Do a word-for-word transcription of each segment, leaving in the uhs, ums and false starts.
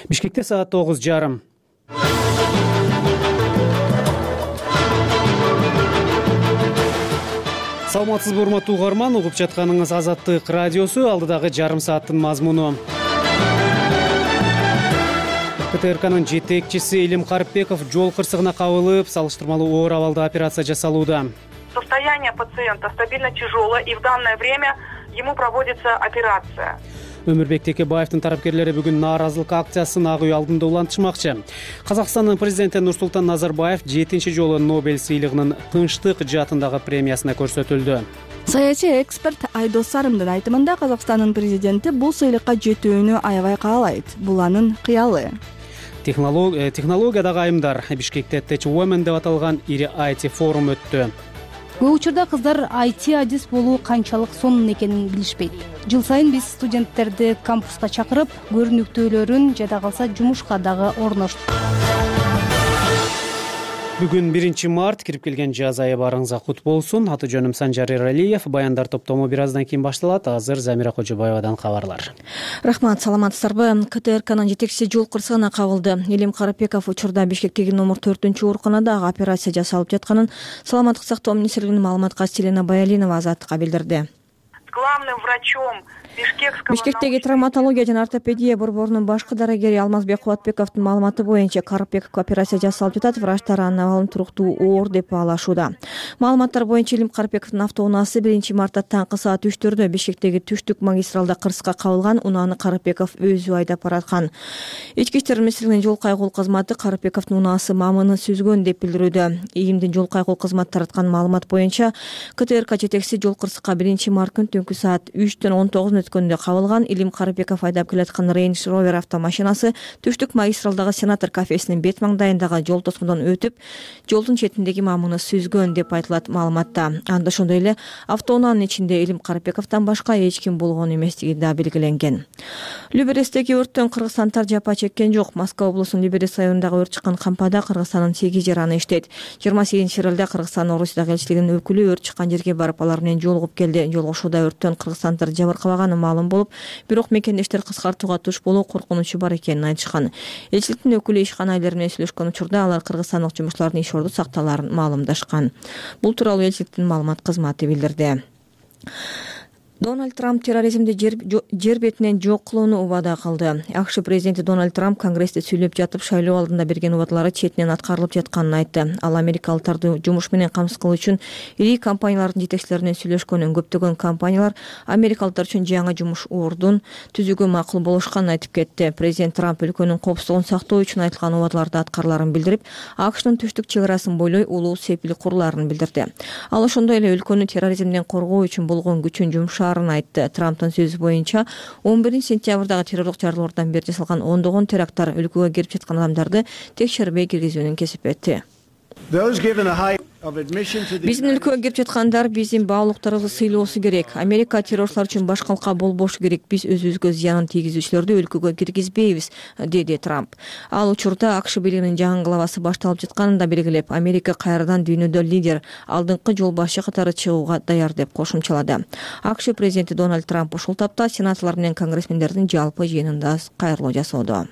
Бишкекте саат тогуз жарым. Саламатсызбы урматтуу угарман, угуп жатканыңыз Азаттык радиосу, алдыдагы жарым сааттын мазмуну. КТРКнын жетекчиси Илим Карипбеков жол кырсыгына кабылып, салыштырмалуу оор абалда операция жасалууда. Состояние пациента стабильно тяжелое, и в данное время ему проводится операция. Өмүрбек Текебаевдин тарапкерлери бүгүн нааразылык акциясын Ак үй алдында улантышмакчы. Казакстандын президенти Нурсултан Назарбаев жетинчи жолу Нобель сыйлыгынын тынчтык жаатындагы премиясына көрсөтүлдү. Саясий эксперт Айдос Сарымдын айтымында Казакстандын президенти бул сыйлыкка жетүүнү аябай каалайт. Бул анын кыялы. Технологиядагы айымдар Бишкекте Tech Women деп аталган ири ай ти форум өттү. Көп учурда кыздар ай ти адис болуу канчалык сонун экенин билишпейт. Жыл сайын биз студенттерди кампуска чакырып, көрүнүктүүлөрүн жада калса жумушка дагы орноштук. Бүгүн биринчи март, кирип келген жаз айы барыңызга кут болсун. Аты жөнүм Санжар Эралиев. Баяндар топтому бир аздан кийин башталат. Азыр Замира Кожобаевадан кабарлар. Рахмат, саламатсыздарбы? КТРКнын жетекчиси жол кырсыгына кабылды. Илим Карипбеков учурда Бишкектеги номер төртүнчү ооруканада операция жасалып жатканын Саламаттык сактоо министрлигинин маалыматкачысы Селена Баялинова Азаттыкка билдирди. Главным врачом Бишкектеги травматология жана ортопедия борборунун башкы дарыгери Алмазбек Кубатбековдун маалыматы боюнча Карипбековго операция жасалып жатат. Врачтар анын абалын туруктуу оор деп баалашууда. Маалыматтар боюнча Илим Карипбековдун автоунаасы биринчи мартта таңкы саат үчтөрдө Бишкектеги түштүк магистралда кырсыкка кабылган. Унааны Карипбеков өзү айдап бараткан. Ички иштер министрлигинин жол кайгылуу кызматы Карипбековдун унаасы мамыны сүзгөн деп билдирүүдө. ИИМдин жол кайгылуу кызматы тараткан маалымат боюнча КТРК жетекчиси жол кырсыкка биринчи март күнү түнкү саат үчтөн он тогузун өткөндө кабылган. Илим Карипбеков айдап келаткан Range Rover автомашинасы түштүк магистралдагы Сенатор кафесинин бет маңдайындагы жол тоскоодон өтүп, жолдун четиндеги мамыны сүзгөн деп айтылат маалыматта. Анда ошондой эле автоунаанын ичинде Илим Карипбековдон башка эч ким болгон эместиги да белгиленген. Люберестеги өрттөн кыргызстандыктар жапа чеккен жок. Москва облусунун Люберес районундагы өрт чыккан кампада Кыргызстандын сегиз жараны иштейт. жыйырма сегизинчи февралда Кыргызстан Орусиядагы элчилигинин өкүлү өрт чыккан жерге барып, алар менен жолугуп келди. Жолугушууда өрттөн кыргызстандыктар жабыркабаганы маалым болуп, бирок мекендештер кыскартууга туш болуу коркунучу бар экенин айтышкан. Элчиликтин өкүлү ишкана айлары менен сүйлөшкөн учурда алар кыргызстандык жумушчулардын иш орду сакталаарын маалымдашкан. Бул тууралуу элчиликтин маалымат кызматы билдирди. Дональд Трамп терроризмди жер, жер бетинен жок кылууну убада кылды. АКШ президенти Дональд Трамп Конгрессте сүйлөп жатып, шайлоо алдында берген убадалары четинен аткарылып жатканын айтты. Ал америкалыктарды жумуш менен камсыз кылуу үчүн ири компаниялардын жетекчилери менен сүйлөшкөнүн, көптөгөн компаниялар америкалыктар үчүн жаңы жумуш ордун түзүүгө макул болушканын айтып кетти. Президент Трамп өлкөнүн коопсуздугун сактоо үчүн айтылган убадаларды аткарыларын билдирип, АКШнын түштүк чек арасын бойлой улуу сепил курулаарын билдирди. Ал ошондой эле өлкөнү терроризмден коргоо үчүн болгон күчүн жумшаа айтты. Трамптын сөзү боюнча он биринчи сентябрдагы террорлук чаралуулардан бери жасалган ондогон теракттар өлкөгө кирип жаткан адамдарды текшербей киргизүүнүн кесип этти. Биздин өлкөгө кирип жаткандар биздин баалуулуктарыбызды сыйлоосу керек. Америка террорчулар үчүн башкалыкка болбошу керек. Биз өзүбүзгө зыянын тийгизүүчүлөрдү өлкөгө киргизбейбиз, деди Трамп. Ал учурда АКШ бийлигинин жаңы главасы башталып жатканын да белгилеп, Америка кайрадан дүйнөдө лидер, алдыңкы жол башы катары чыгууга даяр деп кошумчалады. АКШ президенти Дональд Трамп ушул тапта сенаторлор менен конгрессмендердин жалпы жыйынында кайрылуу жасоодо.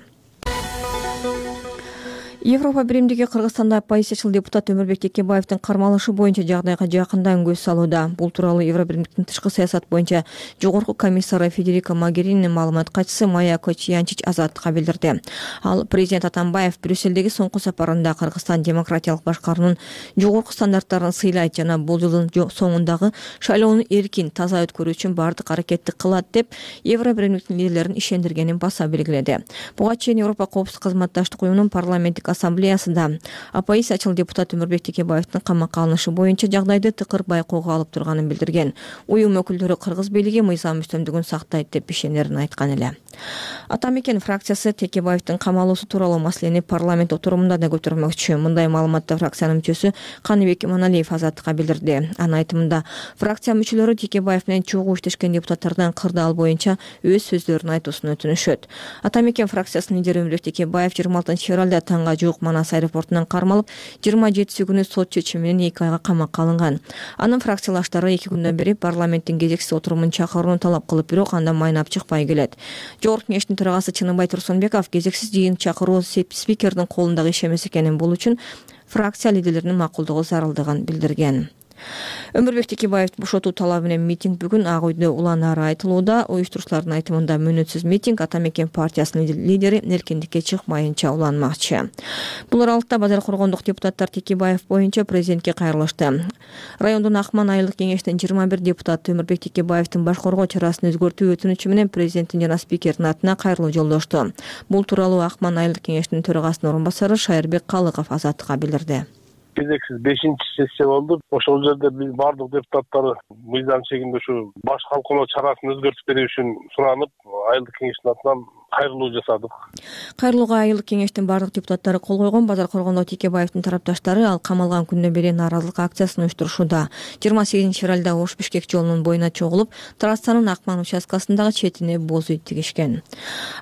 Европа биримдиги Кыргызстанда оппозициячыл депутат Өмүрбек Текебаевдин кармалышы боюнча жагдайга жакындан көз салууда. Бул тууралуу Евробиримдиктин тышкы саясат боюнча жогорку комиссары Федерико Могерининин маалыматкачысы Майя Кочьянчич Азаттыкка билдирди. Ал президент Атамбаев Брюссельдеги соңку сапарында Кыргызстан демократиялык башкаруунун жогорку стандарттарын сыйлайт жана бул жылдын соңундагы шайлоону эркин, таза өткөрүү үчүн бардык аракетти кылат деп Евробиримдиктин лидерлерин ишендиргенин баса белгиледи. Буга чейин Европа коопсуздук кызматташтык уюмунун парламенттик ассамблеясында оппозициячыл депутат Өмүрбек Текебаевдин камакка алынышы боюнча жагдайды тыкыр байкоого алып турганын билдирген. Уюм өкүлдөрү Кыргыз бийлиги мыйзам үстөмдүгүн сактайт деп ишенерин айткан эле. Атамекен фракциясы Текебаевдин камалуусу тууралуу маселени парламент отурумунда да көтөрмөкчү. Мындай маалыматты фракциянын мүчөсү Каныбек Иманалиев Азаттыкка билдирди. Анын айтымында, фракция мүчөлөрү Текебаев менен чогуу иштешкен депутаттардан кырдаал боюнча өз сөздөрүн айтуусун өтүнүшөт. Атамекен фракциясынын лидери Өмүрбек Текебаев жыйырма алтынчы февралда таңга жуук Манас аэропортунан кармалып, жыйырма жетиси күнү сот чечими менен эки айга камакка алынган. Анын фракциялаштары эки күндөн бери парламенттин кезексиз отурумун чакырууну талап кылып, бирок андан майнап чыкпай келет. Жогорку кеңештин төрагасы Чыныбай Турсунбеков кезексиз жыйын чакыруу спикердин колундагы иш эмес экенин, бул үчүн фракция лидерлеринин макулдугу зарылдыгын билдирген. Өмүрбек Текебаевди бошотуу талабы менен митинг бүгүн Ак үйдө улан ары айтылууда. Уюштуруучулардын айтымында мөөнөтсүз митинг Ата Мекен партиясынын лидери эркиндикке чыкмайынча уланмакчы. Бул аралыкта Базар Коргондук депутаттар Текебаев боюнча президентке кайрылышты. Райондун Акман айылдык кеңештин жыйырма бир депутаты Өмүрбек Текебаевдин баш коргоо чарасын өзгөртүү өтүнүчү менен президенттин жана спикердин атына кайрылуу жолдошту. Бул тууралуу Акман айылдык кеңештин төрагасынын орун басары Шайырбек Калыков Азаттыкка билдирди. Кезексиз бешинчи сессия болду. Ошол жерде биз бардык депутаттар мыйзам чегинде ушу баш калкалоо чарасын өзгөртүп берүү үчүн суранып, айылдык кеңештин атынан кайрылуу жасадык. Кайрылууга айылдык кеңештин бардык депутаттары кол койгон. Базар Коргондо Текебаевдин тарапташтары ал камалган күндөн бери нааразылык акциясын уюштурушууда. жыйырма сегизинчи февралда Ош Бишкек жолунун боюна чогулуп, трассанын Акман участкасындагы четине боз үй тигишкен.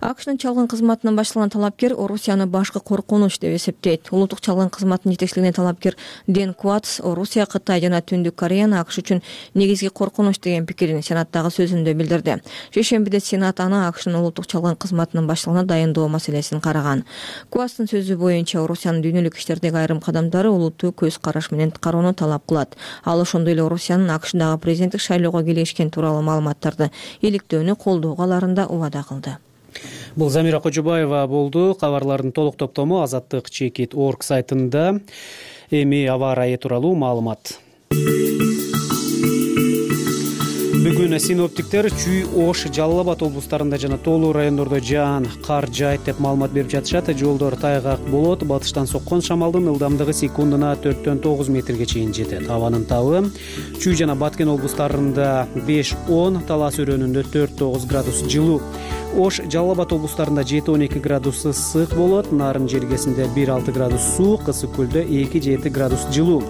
АКШнын чалгын кызматынан башталган талапкер Орусияны башкы коркунуч деп эсептейт. Улуттук чалгын кызматынын жетекчилигине талапкер Ден Куатс Орусия, Кытай жана Түндүк Кореяны АКШ үчүн негизги коркунуч деген пикирин Сенаттагы сөзүндө билдирди. Шейшембиде Сенат аны АКШнын улуттук чалгын кызматынын башталууна дайындоо маселесин караган. Куатстын сөзү боюнча Орусиянын дүйнөлүк иштердеги айрым кадамдары улуттуу көз караш менен кароону талап кылат. Ал ошондой эле Орусиянын АКШдагы президенттик шайлоого келишкен тууралуу маалыматтарды иликтөөнү колдоого аларында убада кылды. Бул Замира Кожобаева болду. Кабарлардын толук топтому азаттык чекит точка орг сайтында. Эми аба ырайы тууралуу маалымат. Бүгүн синоптиктер Чүй, Ош, Жалал Абад облустарында жана тоолуу райондордо жаан, кар жаайт деп маалымат берип жатышат. Жолдор тайгак болот. Батыштан соккон шамалдын ылдамдыгы секундуна төрттөн тогуз метрге чейин жетет. Абанын табы Чүй жана Баткен облустарында беш он, Талас өрөөнүндө төрт тогуз градус жылуу. Ош, Жалал Абад облустарында жети он эки градус ысык болот. Нарын жергесинде бир алты градус суук, Ысык көлдө эки жети градус жылуу.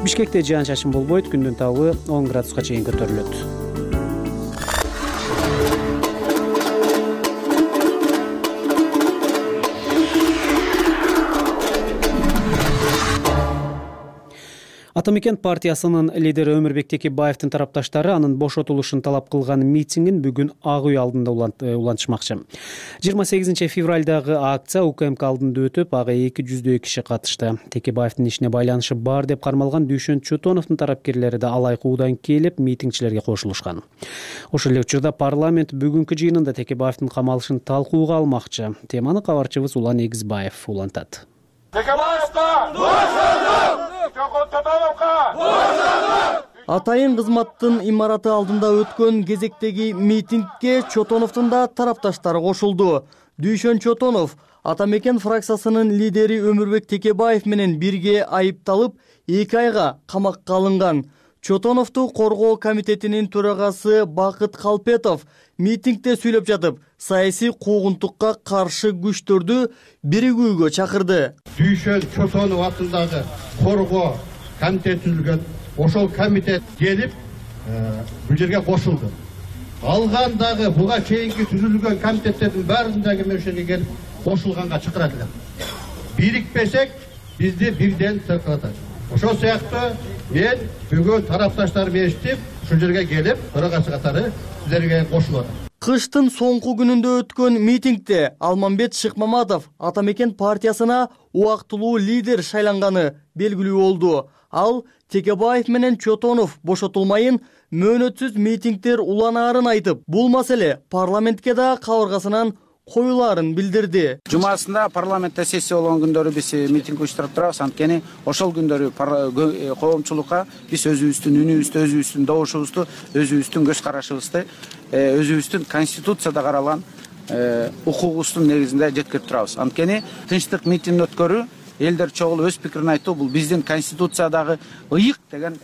Бишкекте жаан чачын болбойт. Күндүн табы он градуска чейин көтөрүлөт. Ата Мекен партиясынын лидери Өмүрбек Текебаевдин тарапташтары анын бошотулушун талап кылган митингин бүгүн Ак үй алдында улантышмакчы. жыйырма сегизинчи февралдагы акция УКМК алдында өтүп, ага эки жүздөй киши катышты. Текебаевдин ишине байланышы бар деп кармалган Дүйшөн Чотоновдун тарапкерлери да алай куудан келип, митингчилерге кошулушкан. Ошол эле учурда парламент бүгүнкү жыйынында Текебаевдин камалышын талкууга алмакчы. Теманы кабарчыбыз Улан Эгизбаев улантат. Атайын кызматтын имараты алдында өткөн кезектеги митингке Чотоновдун да тарапташтары кошулду. Дүйшөн Чотонов Ата Мекен фракциясынын лидери Өмүрбек Текебаев менен бирге айыпталып, эки айга камакка алынган. Чотоновду коргоо комитетинин төрагасы Бакыт Калпетов митингде сүйлөп жатып, саясий куугунтукка каршы күчтөрдү биригүүгө чакырды. Дүйшөн Чотонов атындагы коргоо комитет түзүлгөн. Ошол комитет келип, бул жерге кошулду. Алгандагы буга чейинки түзүлгөн комитеттердин баарындагы мен ошол жерге келип кошулганга чакырат элем. Бирикпесек, бизди бирден сыркатат. Ошол сыяктуу мен бүгүн тарапташтарым эстип, ушул жерге келип, төрагасы катары силерге кошулат. Кыштын соңку күнүндө өткөн митингде Алмамбет Шыкмаматов Ата Мекен партиясына убактылуу лидер шайланганы белгилүү болду. Ал Текебаев менен Чотонов бошотулмайын, мөөнөтсүз митингдер уланаарын айтып, бул маселе парламентке да кабыргасынан коюлаарын билдирди. Жумасында парламентте сессия болгон күндөрү биз митинг уюштуруп турабыз. Анткени ошол күндөрү коомчулукка биз өзүбүздүн үнүбүздү, өзүбүздүн добушубузду, өзүбүздүн көз карашыбызды, өзүбүздүн конституцияда каралган укугубуздун негизинде жеткирип турабыз. Анткени тынчтык митинг өткөрүү, элдер чогулуп өз пикирин айтуу бул биздин конституциядагы ыйык деген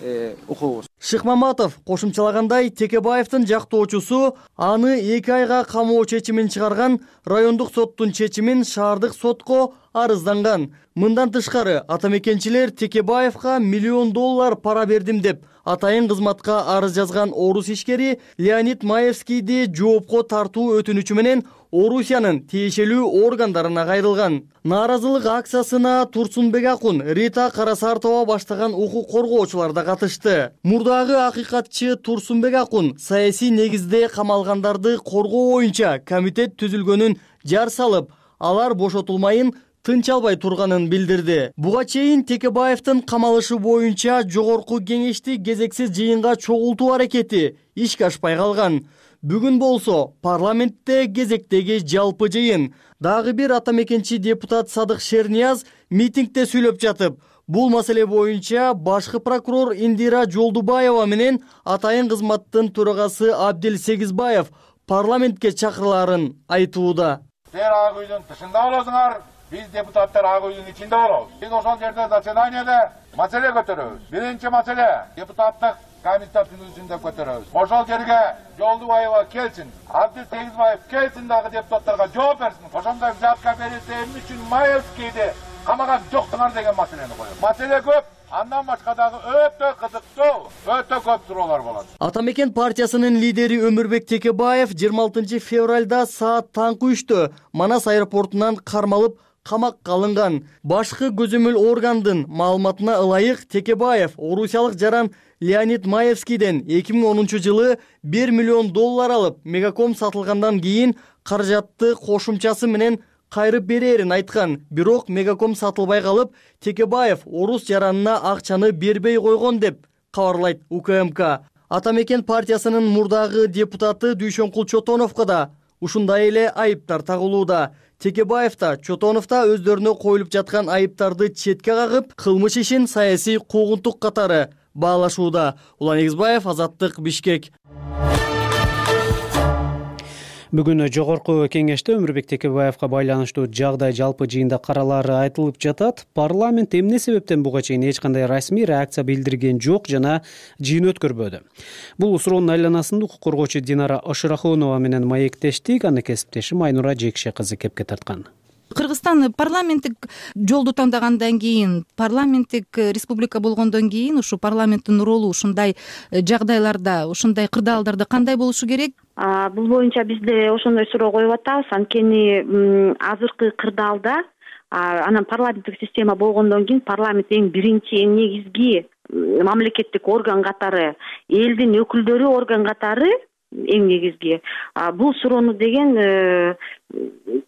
укугубуз. Шыкмаматов кошумчалагандай, Текебаевдин жактоочусу аны эки айга камоо чечимин чыгарган райондук соттун чечимин шаардык сотко арызданган. Мындан тышкары атамекенчилер Текебаевга миллион доллар пара бердим деп атайын кызматка арыз жазган орус ишкери Леонид Маевскийди жоопко тартуу өтүнүчү менен Орусиянын тиешелүү органдарына кайрылган. Нааразылык акциясына Турсунбек Акун, Рита Карасартова баштаган укук коргоочулар да катышты. Мурдагы акыйкатчы Турсунбек Акун саясий негизде камалгандарды коргоо боюнча комитет түзүлгөнүн жар салып, алар бошотулмайын тынч албай турганын билдирди. Буга чейин Текебаевдин камалышы боюнча жогорку кеңешти кезексиз жыйынга чогултуу аракети ишке ашпай калган. Бүгүн болсо парламентте кезектеги жалпы жыйын. Дагы бир атамекенчи депутат Садык Шернияз митингде сүйлөп жатып, бул маселе боюнча башкы прокурор Индира Жолдубаева менен атайын кызматтын төрагасы Абдил Сегизбаев парламентке чакырыларын айтууда. Силер ак үйдүн тышында болосуңар, биз депутаттар ак үйдүн ичинде болобуз. Биз ошол жерде заседанияда маселе көтөрөбүз. Биринчи маселе депутаттык комиссия түзүлсүн деп көтөрөбүз. Ошол жерге Жолдубаева келсин, Абдил Сегизбаев келсин, дагы депутаттарга жооп берсин. Ошондой взятка берилсе эмне үчүн Маевскийди камаган жоктуңар деген маселени коёбуз. Маселе көп. Андан башка дагы өтө кызыктуу, өтө көп суроолор болот. Атамекен партиясынын лидери Өмүрбек Текебаев жыйырма алтынчы февралда саат таңкы үчтө Манас аэропортунан кармалып камакка алынган. Башкы көзөмөл органдын маалыматына ылайык, Текебаев орусиялык жаран Леонид Маевскийден эки миң онунчу жылы бир миллион доллар алып, Мегаком сатылгандан кийин каражатты кошумчасы менен кайрып берерин айткан. Бирок Мегаком сатылбай калып, Текебаев орус жаранына акчаны бербей койгон деп кабарлайт У К М К. Атамекен партиясынын мурдагы депутаты Дүйшөнкул Чотоновго да ушундай эле айыптар тагылууда. Текебаев да, Чотонов да өздөрүнө коюлуп жаткан айыптарды четке кагып, кылмыш ишин саясий куугунтук катары баалашууда. Улан Эгизбаев, Азаттык, Бишкек. Бүгүн жогорку кеңеште Өмүрбек Текебаевга байланыштуу жагдай жалпы жыйында каралары айтылып жатат. Парламент эмне себептен буга чейин эч кандай расмий реакция билдирген жок жана жыйын өткөрбөдү? Бул суроонун айланасында укук коргоочу Динара Ошурахонова менен маектештик. Аны кесиптешим Айнура Жекше кызы кепке тарткан. Кыргызстан парламенттик жолду таңдагандан кийин, парламенттик республика болгондон кийин ушу парламенттин ролу ушундай жагдайларда, ушундай кырдаалдарда кандай болушу керек? Бул боюнча бизде ошондой суроо коюп атабыз. Анткени азыркы кырдаалда анан парламенттик система болгондон кийин парламент эң биринчи, эң негизги мамлекеттик орган катары, элдин өкүлдөрү орган катары эң негизги. Бул суроону деген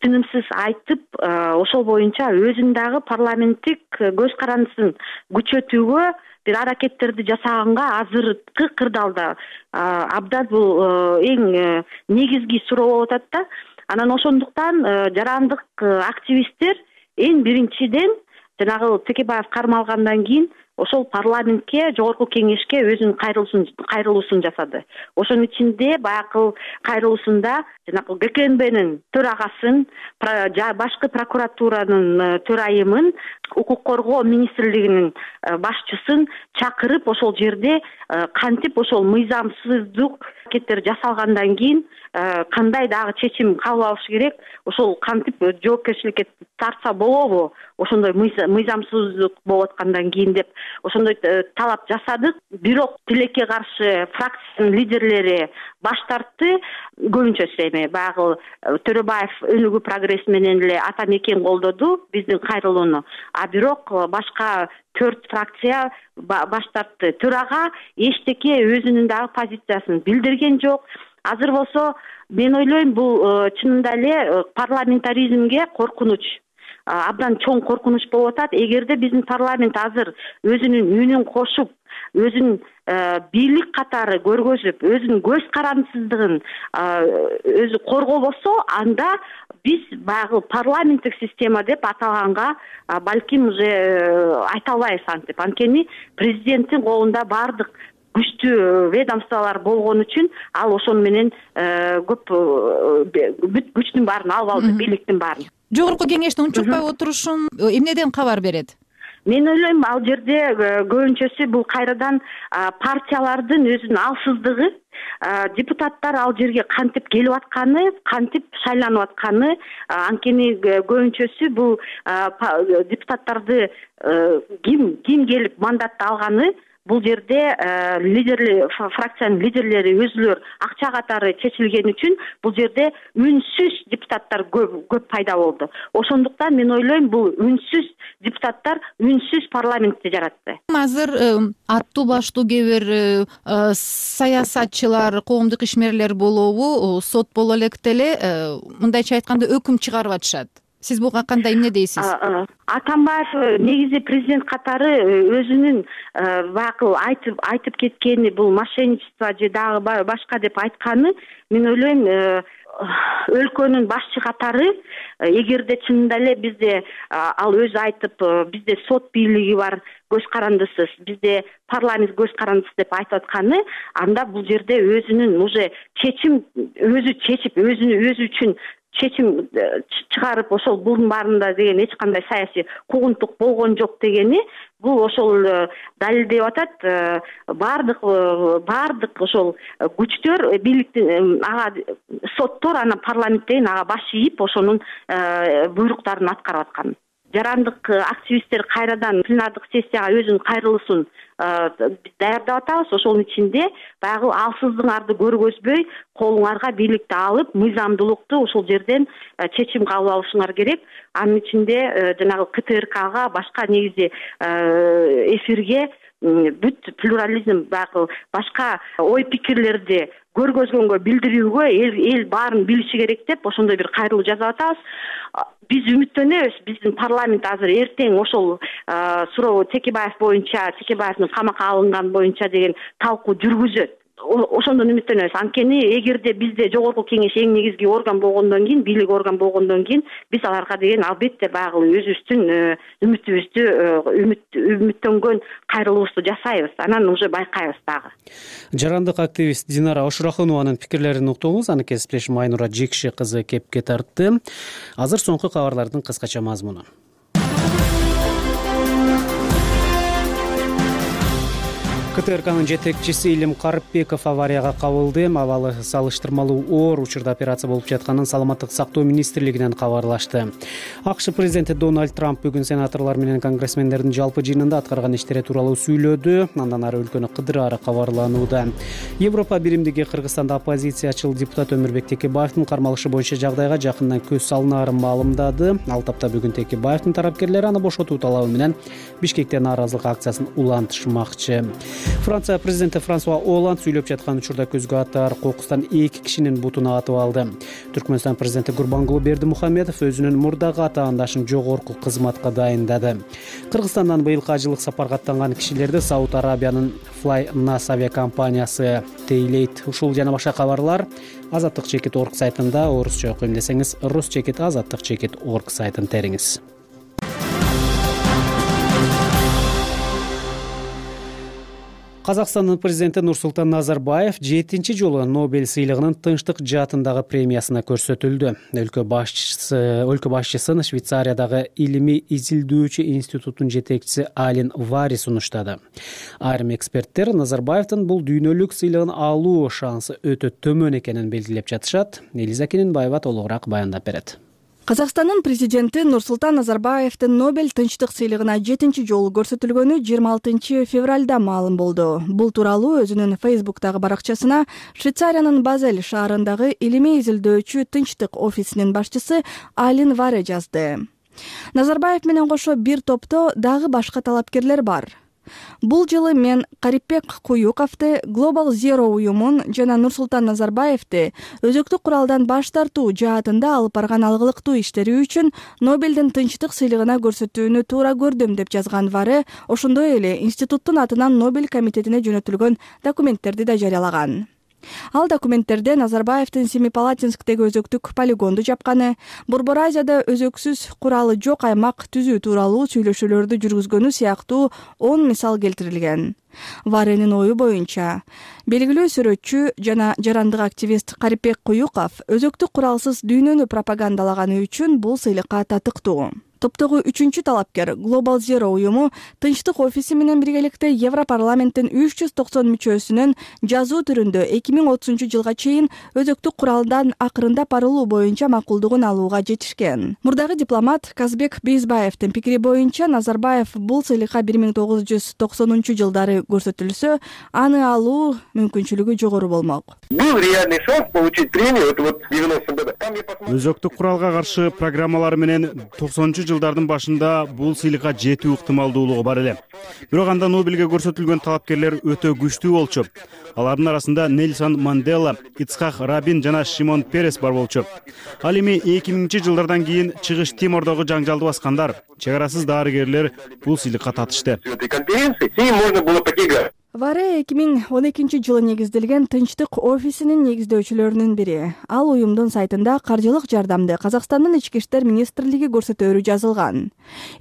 тынымсыз айтып, ошол боюнча өзүн дагы парламенттик көз карандысын күчөтүүгө бир аракеттерди жасаганга азыркы кырдаалда абдан бул эң негизги суроо болуп атат да. Анан ошондуктан жарандык активисттер эң биринчиден жанагы Текебаев кармалгандан кийин ошол парламентке, жогорку кеңешке өзүнүн кайрылуусун кайрылуусун жасады. Ошонун ичинде баягы кайрылуусунда жанагы Г К Н Бнин төрагасын, башкы прокуратуранын төрайымын, укук коргоо министрлигинин башчысын чакырып, ошол жерде кантип ошол мыйзамсыздык аракеттер жасалгандан кийин кандай дагы чечим кабыл алыш керек, ошол кантип жоопкерчиликке тартса болобу, ошондой мыйзамсыздык болуп аткандан кийин деп ошондой талап жасадык. Бирок тилекке каршы фракциянын лидерлери баш тартты. Көбүнчөсү эми баягы Төрөбаев өнүгүү прогресс менен эле Атамекен колдоду биздин кайрылууну. А бирок башка төрт фракция баш тартты. Төрага эчтеке өзүнүн дагы позициясын билдирген жок. Азыр болсо мен ойлойм, бул чынында эле парламентаризмге коркунуч, абдан чоң коркунуч болуп атат. Эгерде биздин парламент азыр өзүнүн үнүн кошуп, өзүнүн бийлик катары көргөзүп, өзүнүн көз карандысыздыгын өзү коргобосо, анда биз баягы парламенттик система деп аталганга балким уже айта албайбыз антип. Анткени президенттин колунда бардык күчтүү ведомстволор болгон үчүн ал ошону менен көп бүт күчтүн баарын алып алды, бийликтин баарын. Жогорку кеңеште унчукпай отурушун эмнеден кабар берет? мен ойлойм ал жерде көбүнчөсү бул кайрадан партиялардын өзүнүн алсыздыгы, депутаттар ал жерге кантип келип атканы, кантип шайланып атканы, анткени көбүнчөсү бул депутаттарды ким ким келип мандатты алганы, бул жерде лидерлер, фракциянын лидерлери өзүлөр акча катары чечилген үчүн бул жерде үнсүз депутаттар көп көп пайда болду. Ошондуктан мен ойлойм бул үнсүз депутаттар үнсүз парламентти жаратты. Азыр аттуу баштуу кээ бир саясатчылар, коомдук ишмерлер болобу, сот боло электе эле мындайча айтканда өкүм чыгарып атышат. Сиз буга кандай эмне дейсиз? Атамбаев негизи президент катары өзүнүн баягы айтып айтып кеткени бул мошенничество же дагы башка деп айтканы, мен ойлойм өлкөнүн башчы катары, эгерде чынында эле бизде ал өзү айтып, бизде сот бийлиги бар, көз карандысыз, бизде парламент көз карандысыз деп айтып атканы, анда бул жерде өзүнүн уже чечим өзү чечип, өзүнү өзү үчүн чечим чыгарып, ошол bunun баарында деген эч кандай саясий куугунтук болгон жок дегени, бул ошол далилдеп атат. Баардык баардык ошол күчтөр, бийликтин ага соттор, анан парламент деген ага баш ийип, ошонун буйруктарын аткарып аткан. Жарандык активисттер кайрадан пленардык сессияга өзүнүн кайрылышын даярдап атабыз. Ошонун ичинде баягы алсыздыгыңарды көргөзбөй, колуңарга бийликти алып, мыйзамдуулукту ошол жерден чечим кабыл алышыңар керек. Анын ичинде жанагы ка тэ эр кага, башка негизи эфирге бүт плюрализм, баягы башка ой пикирлерди көргөзгөнгө, билдирүүгө эл эл баарын билиши керек деп ошондой бир кайрылуу жасап атабыз. Биз үмүттөнөбүз, биздин парламент азыр эртең ошол суроо Текебаев боюнча, Текебаевдин камакка алынган боюнча деген талкуу жүргүзөт. Ошондон үмүттөнөбүз. Анткени эгерде бизде жогорку кеңеш эң негизги орган болгондон кийин, бийлик орган болгондон кийин, биз аларга деген албетте баягы өзүбүздүн үмүтүбүздү, үмүт үмүттөнгөн кайрылуубузду жасайбыз. Анан уже байкайбыз дагы. Жарандык активист Динара Ошурахунованын пикирлерин уктуңуз. Аны кесиптешим Айнура Жекши кызы кепке тартты. Азыр соңку кабарлардын кыскача мазмуну. ка тэ эр канын жетекчиси Илим Карыпбеков аварияга кабылды. Абалы салыштырмалуу оор учурда операция болуп жатканын Саламаттык сактоо министрлигинен кабарлашты. АКШ президенти Дональд Трамп бүгүн сенаторлор менен конгрессмендердин жалпы жыйынында аткарган иштери тууралуу сүйлөдү. Андан ары өлкөнү кыдыраары кабарланууда. Европа биримдиги Кыргызстанда оппозициячыл депутат Өмүрбек Текебаевдин кармалышы боюнча жагдайга жакындан көз салынаарын маалымдады. Ал тапта бүгүн Текебаевдин тарапкерлери аны бошотуу талабы менен Бишкекте нааразылык акциясын улантышмакчы. Франция президенти Франсуа Оланд сүйлөп жаткан учурда көзгө атар кокустан эки кишинин бутун атып алды. Түркмөнстан президенти Гурбангулы Бердимухамедов өзүнүн мурдагы атаандашын жогорку кызматка дайындады. Кыргызстандан быйылкы ажылык сапарга аттанган кишилерди Сауд Арабиянын Flynas авиакомпаниясы тейлейт. Ушул жана башка кабарлар Азаттык чекит точка орг сайтында, орусча окуйм десеңиз рус чекит азаттык чекит точка орг сайтын териңиз. Казакстандын президенти Нурсултан Назарбаев жетинчи жолу Нобель сыйлыгынын тынчтык жаатындагы премиясына көрсөтүлдү. Өлкө башчысы, өлкө башчысын Швейцариядагы илимий изилдөөчү институттун жетекчиси Алин Вари сунуштады. Айрым эксперттер Назарбаевдин бул дүйнөлүк сыйлыгын алуу шансы өтө төмөн экенин белгилеп жатышат. Элиза Кененбаева толугураак баяндап берет. Казакстандын президенти Нурсултан Назарбаевдин Нобель тынчтык сыйлыгына жетинчи жолу көрсөтүлгөнү жыйырма алтынчы февралда маалым болду. Бул тууралуу өзүнүн Фейсбуктагы баракчасына Швейцариянын Базель шаарындагы илимий изилдөөчү тынчтык офисинин башчысы Алин Варе жазды. Назарбаев менен кошо бир топто дагы башка талапкерлер бар. Бул жылы мен Карипбек Куюковду, Global Zero уюмун жана Нурсултан Назарбаевди өзөктүк куралдан баш тартуу жаатында алып барган алгылыктуу иштери үчүн Нобелдин тынчтык сыйлыгына көрсөтүүнү туура көрдүм деп жазган Варе ошондой эле институттун атынан Нобель комитетине жөнөтүлгөн документтерди да жарыялаган. Ал документтерде Назарбаевдин Семипалатинсктеги өзөктүк полигонду жапканы, Борбор Азияда өзөксүз куралы жок аймак түзүү тууралуу сүйлөшүүлөрдү жүргүзгөнү сыяктуу он мисал келтирилген. Варенин ою боюнча, белгилүү сүрөтчү жана жарандык активист Карипбек Куюков өзөктүк куралсыз дүйнөнү пропагандалаганы үчүн бул сыйлыкка татыктуу. Топтогу үчүнчү талапкер Global Zero уюму Тынчтык офиси менен биргеликте Европарламенттин үч жүз токсон мүчөсүнүн жазуу түрүндө эки миң отузунчу жылга чейин өзөктүк куралдан акырындап арылуу боюнча макулдугун алууга жетишкен. Мурдагы дипломат Казбек Бейзбаевдин пикири боюнча Назарбаев бул сыйлыкка бир миң тогуз жүз токсонунчу жылдары көрсөтүлсө, аны алуу мүмкүнчүлүгү жогору болмок. Был реальный шанс получить премию. Это вот девяностых годах. Өзөктүк куралга каршы программалар менен токсонунчу жылдардын башында бул сыйлыкка жетүү ыктымалдуулугу бар эле. Бирок анда Нобелге көрсөтүлгөн талапкерлер өтө күчтүү болчу. Алардын арасында Нельсон Мандела, Ицхак Рабин жана Шимон Перес бар болчу. Ал эми эки миңинчи жылдардан кийин Чыгыш Тимордогу жаңжалды баскандар, чек арасыз дарыгерлер бул сыйлыкка татышты. Варе эки миң он экинчи жылы негизделген Тынчтык офисинин негиздөөчүлөрүнүн бири. Ал уюмдун сайтында каржылык жардамды Казакстандын ички иштер министрлиги көрсөтөөрү жазылган.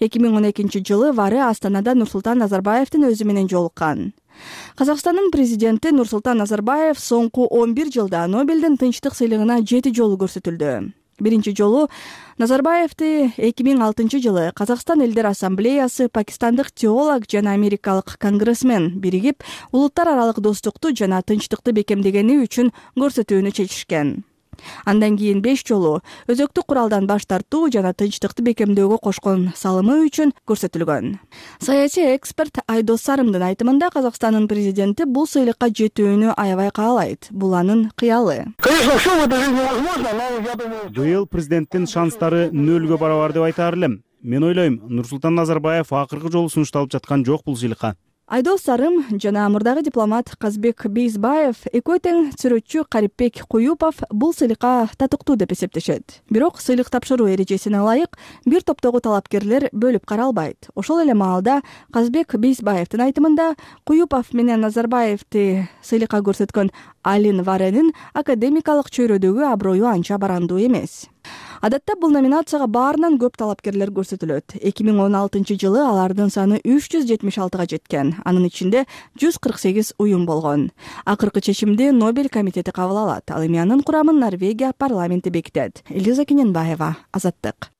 эки миң он экинчи жылы Варе Астанада Нурсултан Назарбаевдин өзү менен жолуккан. Казакстандын президенти Нурсултан Назарбаев соңку он бир жылда Нобелдин Тынчтык сыйлыгына жети жолу көрсөтүлдү. Биринчи жолу Назарбаевди эки миң алтынчы жылы Казакстан элдер ассамблеясы, пакистандык теолог жана америкалык конгрессмен биригип, улуттар аралык достукту жана тынчтыкты бекемдегени үчүн көрсөтүүнү чечишкен. Андан кийин беш жолу өзөктүк куралдан баш тартуу жана тынчтыкты бекемдөөгө кошкон салымы үчүн көрсөтүлгөн. Саясий эксперт Айдос Сарымдын айтымында Казакстандын президенти бул сыйлыкка жетүүнү аябай каалайт. Бул анын кыялы. Быйыл президенттин шанстары нөлгө барабар деп айтаар элем. Мен ойлойм, Нурсултан Назарбаев акыркы жолу сунушталып жаткан жок бул сыйлыкка. Айдос Сарым жана мурдагы дипломат Казбек Бейзбаев, экөө тең сүрөтчү Карипбек Куюпов бул сыйлыкка татыктуу деп эсептешет. Бирок сыйлык тапшыруу эрежесине ылайык бир топтогу талапкерлер бөлүп каралбайт. Ошол эле маалда Казбек Бейзбаевдин айтымында Куюпов менен Назарбаевди сыйлыкка көрсөткөн Алин Варенин академикалык чөйрөдөгү аброю анча барандуу эмес. Адатта бул номинацияга баарынан көп талапкерлер көрсөтүлөт. эки миң он алтынчы жылы алардын саны үч жүз жетимиш алтыга жеткен. Анын ичинде жүз кырк сегиз уюм болгон. Акыркы чечимди Нобель комитети кабыл алат. Ал эми анын курамын Норвегия парламенти бекитет. Элиза Кененбаева, Азаттык.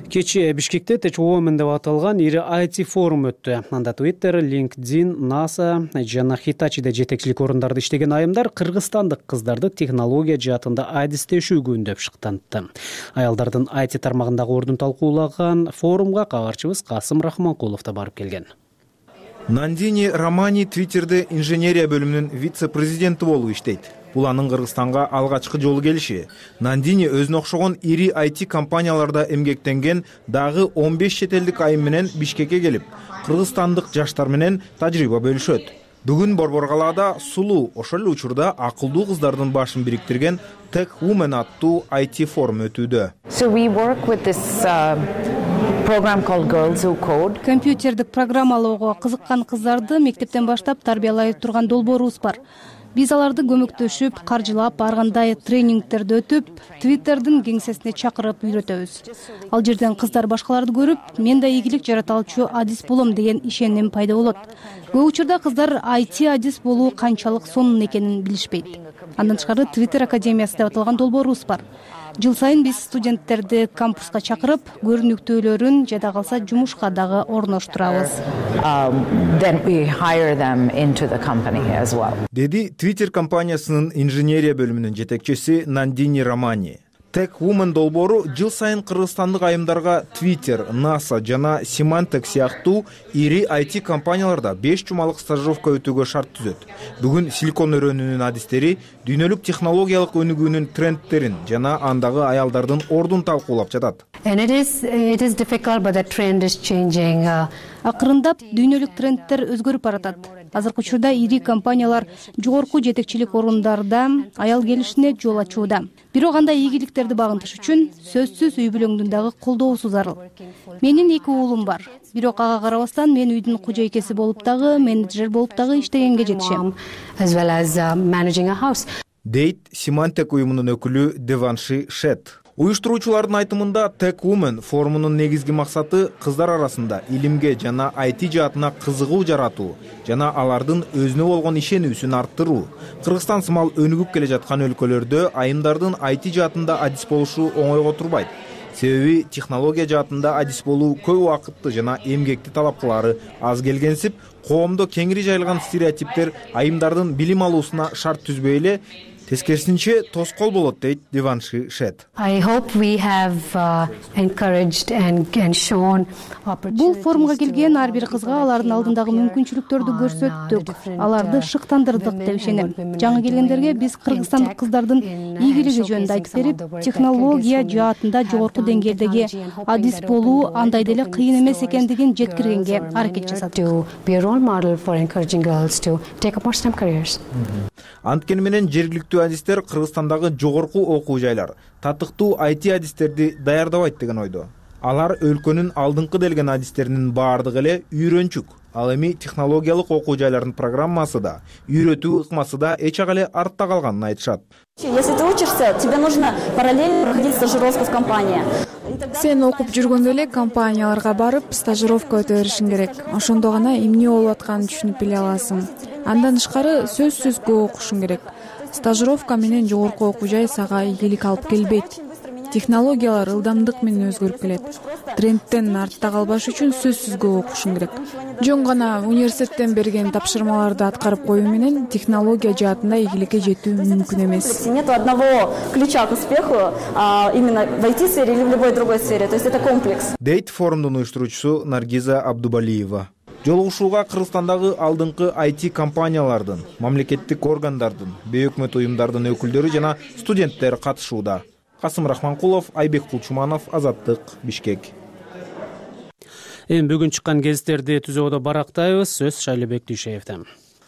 Кечээ Бишкекте Tech Women деп аталган ири ай ти форум өттү. Анда Twitter, LinkedIn, NASA жана Hitachi'де жетекчилик орундарды иштеген айымдар кыргызстандык кыздарды технология жаатында адистешүү күндөп шыктантты. Аялдардын ай ти тармагындагы ордун талкуулаган форумга кабарчыбыз Касым Рахманкулов да барып келген. Нандини Романи Twitter'де инженерия бөлүмүнүн вице-президенти болуп иштейт. Бул анын Кыргызстанга алгачкы жолу келиши. Нандини өзүнө окшогон ири ай ти компанияларда эмгектенген дагы он беш чет элдик айым менен Бишкекке келип, кыргызстандык жаштар менен тажрыйба бөлүшөт. Бүгүн Борбор калаада сулуу, ошол эле учурда акылдуу кыздардын башын бириктирген Tech Women аттуу ай ти форум өтүүдө. So we work with this uh... program called Girls Who Code. Компьютердик программалоого кызыккан кыздарды мектептен баштап тарбиялай турган долбоорубуз бар. Биз аларды көмөктөшүп, каржылап, ар кандай тренингтерди өтүп, Twitter'дын кеңсесине чакырып үйрөтөбүз. Ал жерден кыздар башкаларды көрүп, мен да ийгилик жараталчу адис болом деген ишеним пайда болот. Көп учурда кыздар ай ти адис болуу канчалык сонун экенин билишпейт. Андан тышкары Twitter академиясы деп аталган долбоорубуз бар. Жыл сайын биз студенттерди кампуска чакырып, көрүнүктүүлөрүн жада калса жумушка дагы орноштурабыз. Деди Twitter компаниясынын инженерия бөлүмүнүн жетекчиси Нандини Романи. Tech Women долбоору жыл сайын кыргызстандык айымдарга Twitter, NASA жана Symantec сыяктуу ири ай ти компанияларда беш жумалык стажировка өтүүгө шарт түзөт. Бүгүн силикон өрөөнүнүн адистери дүйнөлүк технологиялык өнүгүүнүн трендтерин жана андагы аялдардын ордун талкуулап жатат. Акырындап дүйнөлүк трендтер өзгөрүп баратат. Азыркы учурда ири компаниялар жогорку жетекчилик орундарда аял келишине жол ачууда. Бирок андай ийгиликтерди багынтыш үчүн сөзсүз үй бүлөңдүн дагы колдоосу зарыл. Менин эки уулум бар. Бирок ага карабастан мен үйдүн кожойкеси болуп дагы, менеджер болуп дагы иштегенге жетишем. Дейт Symantec уюмунун өкүлү Деванши Шет. Уюштуруучулардын айтымында Tech Women форумунун негизги максаты кыздар арасында илимге жана ай ти жаатына кызыгуу жаратуу жана алардын өзүнө болгон ишенүүсүн арттыруу. Кыргызстан сымал өнүгүп келе жаткан өлкөлөрдө айымдардын ай ти жаатында адис болушу оңойго турбайт. Себеби технология жаатында адис болуу көп убакытты жана эмгекти талап кылары аз келгенсип, коомдо кеңири жайылган стереотиптер айымдардын билим алуусуна шарт түзбөй эле, тескерисинче тоскоол болот, дейт Деванши Шет. Бул форумга келген ар бир кызга алардын алдындагы мүмкүнчүлүктөрдү көрсөттүк, аларды шыктандырдык деп ишенем. Жаңы келгендерге биз кыргызстандык кыздардын ийгилиги жөнүндө айтып берип, технология жаатында жогорку деңгээлдеги адис болуу андай деле кыйын эмес экендигин жеткиргенге аракет жасадык. Анткени менен жергиликтүү адистер Кыргызстандагы жогорку окуу жайлар татыктуу ай ти адистерди даярдабайт деген ойдо. Алар өлкөнүн алдыңкы делген адистеринин баардыгы эле үйрөнчүк. Ал эми технологиялык окуу жайлардын программасы да, үйрөтүү ыкмасы да эч ак эле артта калганын айтышат. Если ты учишься, тебе нужно параллельно проходить стажировку в компании. Сен окуп жүргөндө эле компанияларга барып, стажировка өтө беришиң керек. Ошондо гана эмне болуп атканын түшүнүп биле аласың. Андан тышкары сөзсүз көп окушуң керек. Стажировка менен жогорку окуу жай сага ийгилик алып келбейт. Технологиялар ылдамдык менен өзгөрүп келет. Трендтен артта калбаш үчүн сөзсүз көп окушуң керек. Жөн гана университеттен берген тапшырмаларды аткарып коюу менен технология жаатында ийгиликке жетүү мүмкүн эмес. Нет одного ключа к успеху, именно в ай ти-сфере или в любой другой сфере. То есть это комплекс. Дейт форумдун уюштуруучусу Наргиза Абдубалиева. Жолугушууга Кыргызстандагы алдыңкы ай ти компаниялардын, мамлекеттик органдардын, бейөкмөт уюмдардын өкүлдөрү жана студенттер катышууда. Касым Рахманкулов, Айбек Кулчуманов, Азаттык, Бишкек. Эми бүгүн чыккан гезиттерди түзүүдө барактайбыз. Сөз Шайлебек Дүйшеевден.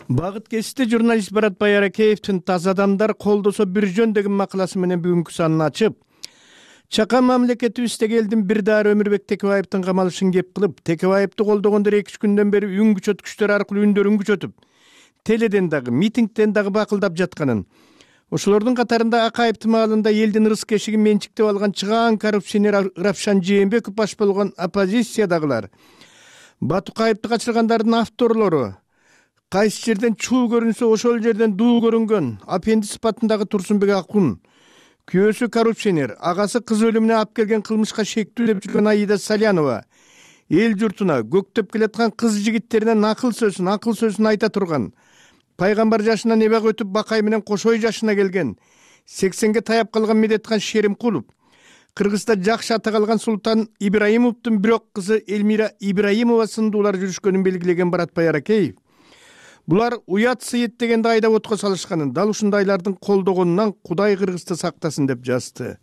Багыт кесипте журналист Барат Байаракеевдин «Таза адамдар колдосо бир жөн» деген макаласы менен бүгүнкү санын ачып, чака мамлекетибиздеги элдин бир даары Өмүрбек Текебаевдин камалышын кеп кылып, Текебаевди колдогондор эки үч күндөн бери үн күчөткүчтөр аркылуу үндөрүн күчөтүп, теледен дагы, митингден дагы бакылдап жатканын, ошолордун катарында Акаев маалында элдин ырыс кешигин менчиктеп алган чыгаан коррупционер Равшан Жээнбеков баш болгон оппозициядагылар, Батукаевди качыргандардын авторлору, кайсы жерден чуу көрүнсө ошол жерден дуу көрүнгөн аппендис сыпатындагы Турсунбек Акун, күйөөсү коррупционер, агасы кыз өлүмүнө алып келген кылмышка шектүү деп жүргөн Аида Салянова, эл журтуна көктөп келаткан кыз жигиттерине акыл сөзүн, акыл сөзүн айта турган, пайгамбар жашынан эбак өтүп Бакай менен Кошой жашына келген, сексенге таяп калган Медетхан Шеримкулов, Кыргызда жакшы ата калган Султан Ибраимовдун бирок кызы Элмира Ибраимова сындуулар жүрүшкөнүн белгилеген Барат Байаракеев. Булар уят сыйыт дегенде айдап отко салышканын, дал ушундайлардын колдогонунан Кудай Кыргызды сактасын деп жазды.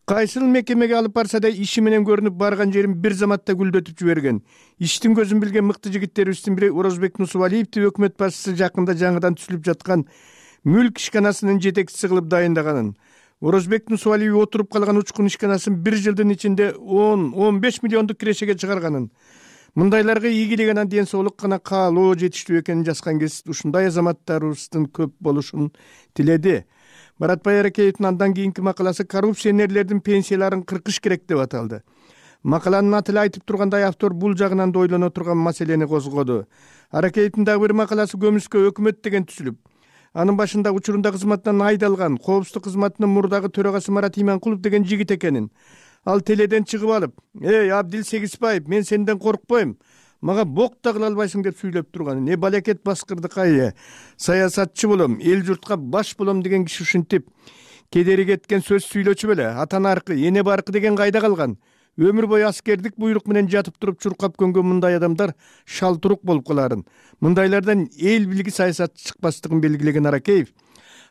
Кайсыл мекемеге алып барса да иши менен көрүнүп барган жерин бир заматта гүлдөтүп жиберген. Иштин көзүн билген мыкты жигиттерибиздин бири Орозбек Нусубалиевди өкмөт башчысы жакында жаңыдан түзүлүп жаткан мүлк ишканасынын жетекчиси кылып дайындаганын. Орозбек Нусубалиев отуруп калган учкун ишканасын бир жылдын ичинде он он беш миллиондук кирешеге чыгарганын. Мындайларга ийгилеген ден соолук гана каалоо жетиштүү экенин жазган кез ушундай азаматтарыбыздын көп болушун тиледи. Барат Байаракеевдин андан кийинки макаласы коррупционерлердин пенсияларын кыркыш керек деп аталды. Макаланын аты эле айтып тургандай, автор бул жагынан да ойлоно турган маселени козгоду. Аракеевдин дагы бир макаласы көмүскө өкмөт деген түзүлүп, анын башында учурунда кызматтан айдалган коопсуздук кызматынын мурдагы төрагасы Марат Иманкулов деген жигит экенин. Ал теледен чыгып алып, «Эй, Абдил Сегизбаев, мен сенден коркпойм. Мага бок да кыла албайсың» деп сүйлөп турган. Не балекет баскырды кайы. Саясатчы болом, эл журтка баш болом деген киши ушинтип кедери кеткен сөз сүйлөчү беле. Атана аркы, эне баркы деген кайда калган? Өмүр бою аскердик буйрук менен жатып туруп чуркап көнгөн мындай адамдар шалтурук болуп каларын. Мындайлардан эл билги саясатчы чыкпастыгын белгилеген Аракеев,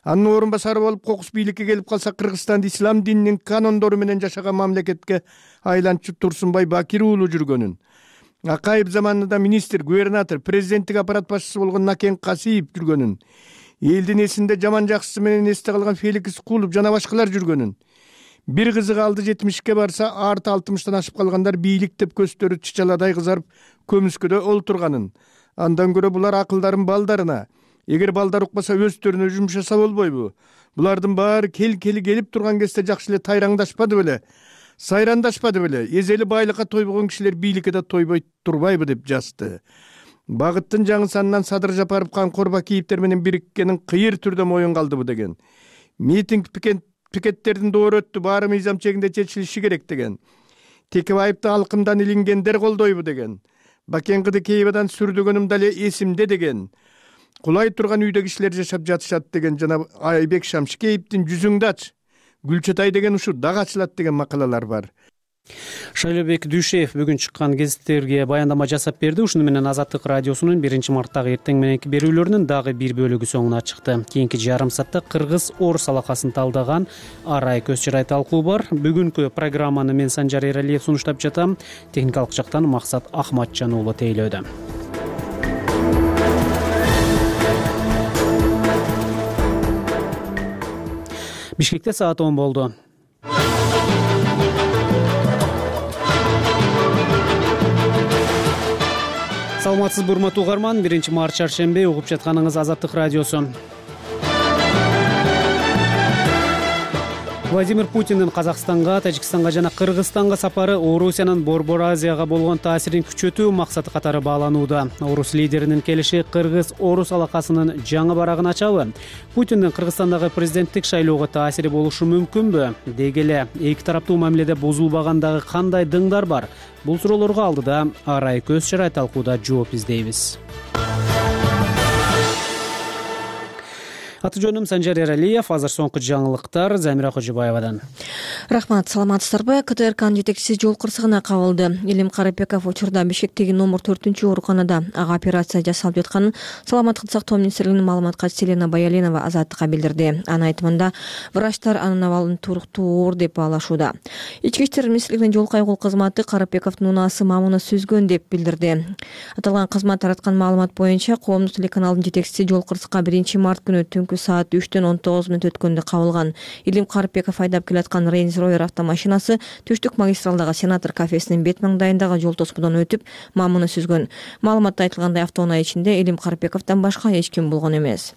анын орун басары болуп кокус бийликке келип калса Кыргызстанды ислам дининин канондору менен жашаган мамлекетке айлантчы Турсунбай Бакир уулу жүргөнүн, Акаев заманында министр, губернатор, президенттик аппарат башчысы болгон Накен Касиев жүргөнүн, элдин эсинде жаман жакшысы менен эсте калган Феликс Кулов жана башкалар жүргөнүн. Бир кызыгы алды жетимишке барса, арты алтымыштан ашып калгандар бийлик деп көздөрү чычаладай кызарып көмүскөдө олтурганын. Андан көрө булар акылдарын балдарына, эгер балдар укпаса өздөрүнө жумшаса болбойбу? Булардын баары кел-кели келип турган кезде жакшы эле тайраңдашпады беле? Сайрандашпады беле? Эзели байлыкка тойбогон кишилер бийликке да тойбой турбайбы деп жазды. Багыттын жаңы санынан Садыр Жапаров Канкор Бакиевдер менен бириккенин кыйыр түрдө моюнга алдыбы деген. Митинг пикеттердин доору өттү, баары мыйзам чегинде чечилиши керек деген. Текебаевди алкымдан илингендер колдойбу деген. Бакен Кыдыкеевадан сүрдөгөнүм дале эсимде деген. Кулай турган үйдө кишилер жашап жатышат деген жана Айбек Шамшикеевдин жүзүңдү ач, Гүлчатай деген ушу дагы ачылат деген макалалар бар. Шайлообек Дүйшеев бүгүн чыккан гезиттерге баяндама жасап берди. Ушуну менен Азаттык радиосунун биринчи марттагы эртең мененки берүүлөрүнүн дагы бир бөлүгү соңуна чыкты. Кийинки жарым саатта кыргыз орус алакасын талдаган арай көз чырай талкуу бар. Бүгүнкү программаны мен Санжар Эралиев сунуштап жатам. Техникалык жактан Максат Ахматжан уулу тейлөөдө. Бишкекте саат он болду. Саламатсызбы урматтуу угарман, биринчи март чаршембе угуп жатканыңыз Азаттык радиосу. Владимир Путиндин Казакстанга, Тажикстанга жана Кыргызстанга сапары Орусиянын Борбор Азияга болгон таасирин күчөтүү максаты катары бааланууда. Орус лидеринин келиши кыргыз-орус алакасынын жаңы барагын ачабы? Путиндин Кыргызстандагы президенттик шайлоого таасири болушу мүмкүнбү? Деги эле эки тараптуу мамиледе бузулбагандагы кандай дыңдар бар? Бул суроолорго алдыда арай көз чырай талкууда жооп издейбиз. Аты жөнүм Санжар Эралиев, азыр соңку жаңылыктар Замира Кожобаевадан. Рахмат, саламатсыздарбы? КТРКнын жетекчиси жол кырсыгына кабылды. Илим Карапеков учурда Бишкектеги номер төртүнчү ооруканада ага операция жасалып жатканын Саламаттык сактоо министрлигинин маалымат катчысы Елена Баялинова Азаттыкка билдирди. Анын айтымында, врачтар анын абалын туруктуу оор деп баалашууда. Ички иштер министрлигинин жол кайгыл кызматы Карапековдун унаасы мамуну сүзгөн деп билдирди. Аталган кызмат тараткан маалымат боюнча коомдук телеканалдын жетекчиси жол кырсыкка биринчи март күнү түнкү саат үчтөн он тогуз мүнөт өткөндө кабылган. Илим Карапеков айдап келаткан Range Rover автомашинасы түштүк магистралдагы сенатор кафесинин бет маңдайындагы жол тосмодон өтүп, мамуну сүзгөн. Маалыматта айтылгандай, автоунаа ичинде Илим Карапековдон башка эч ким болгон эмес.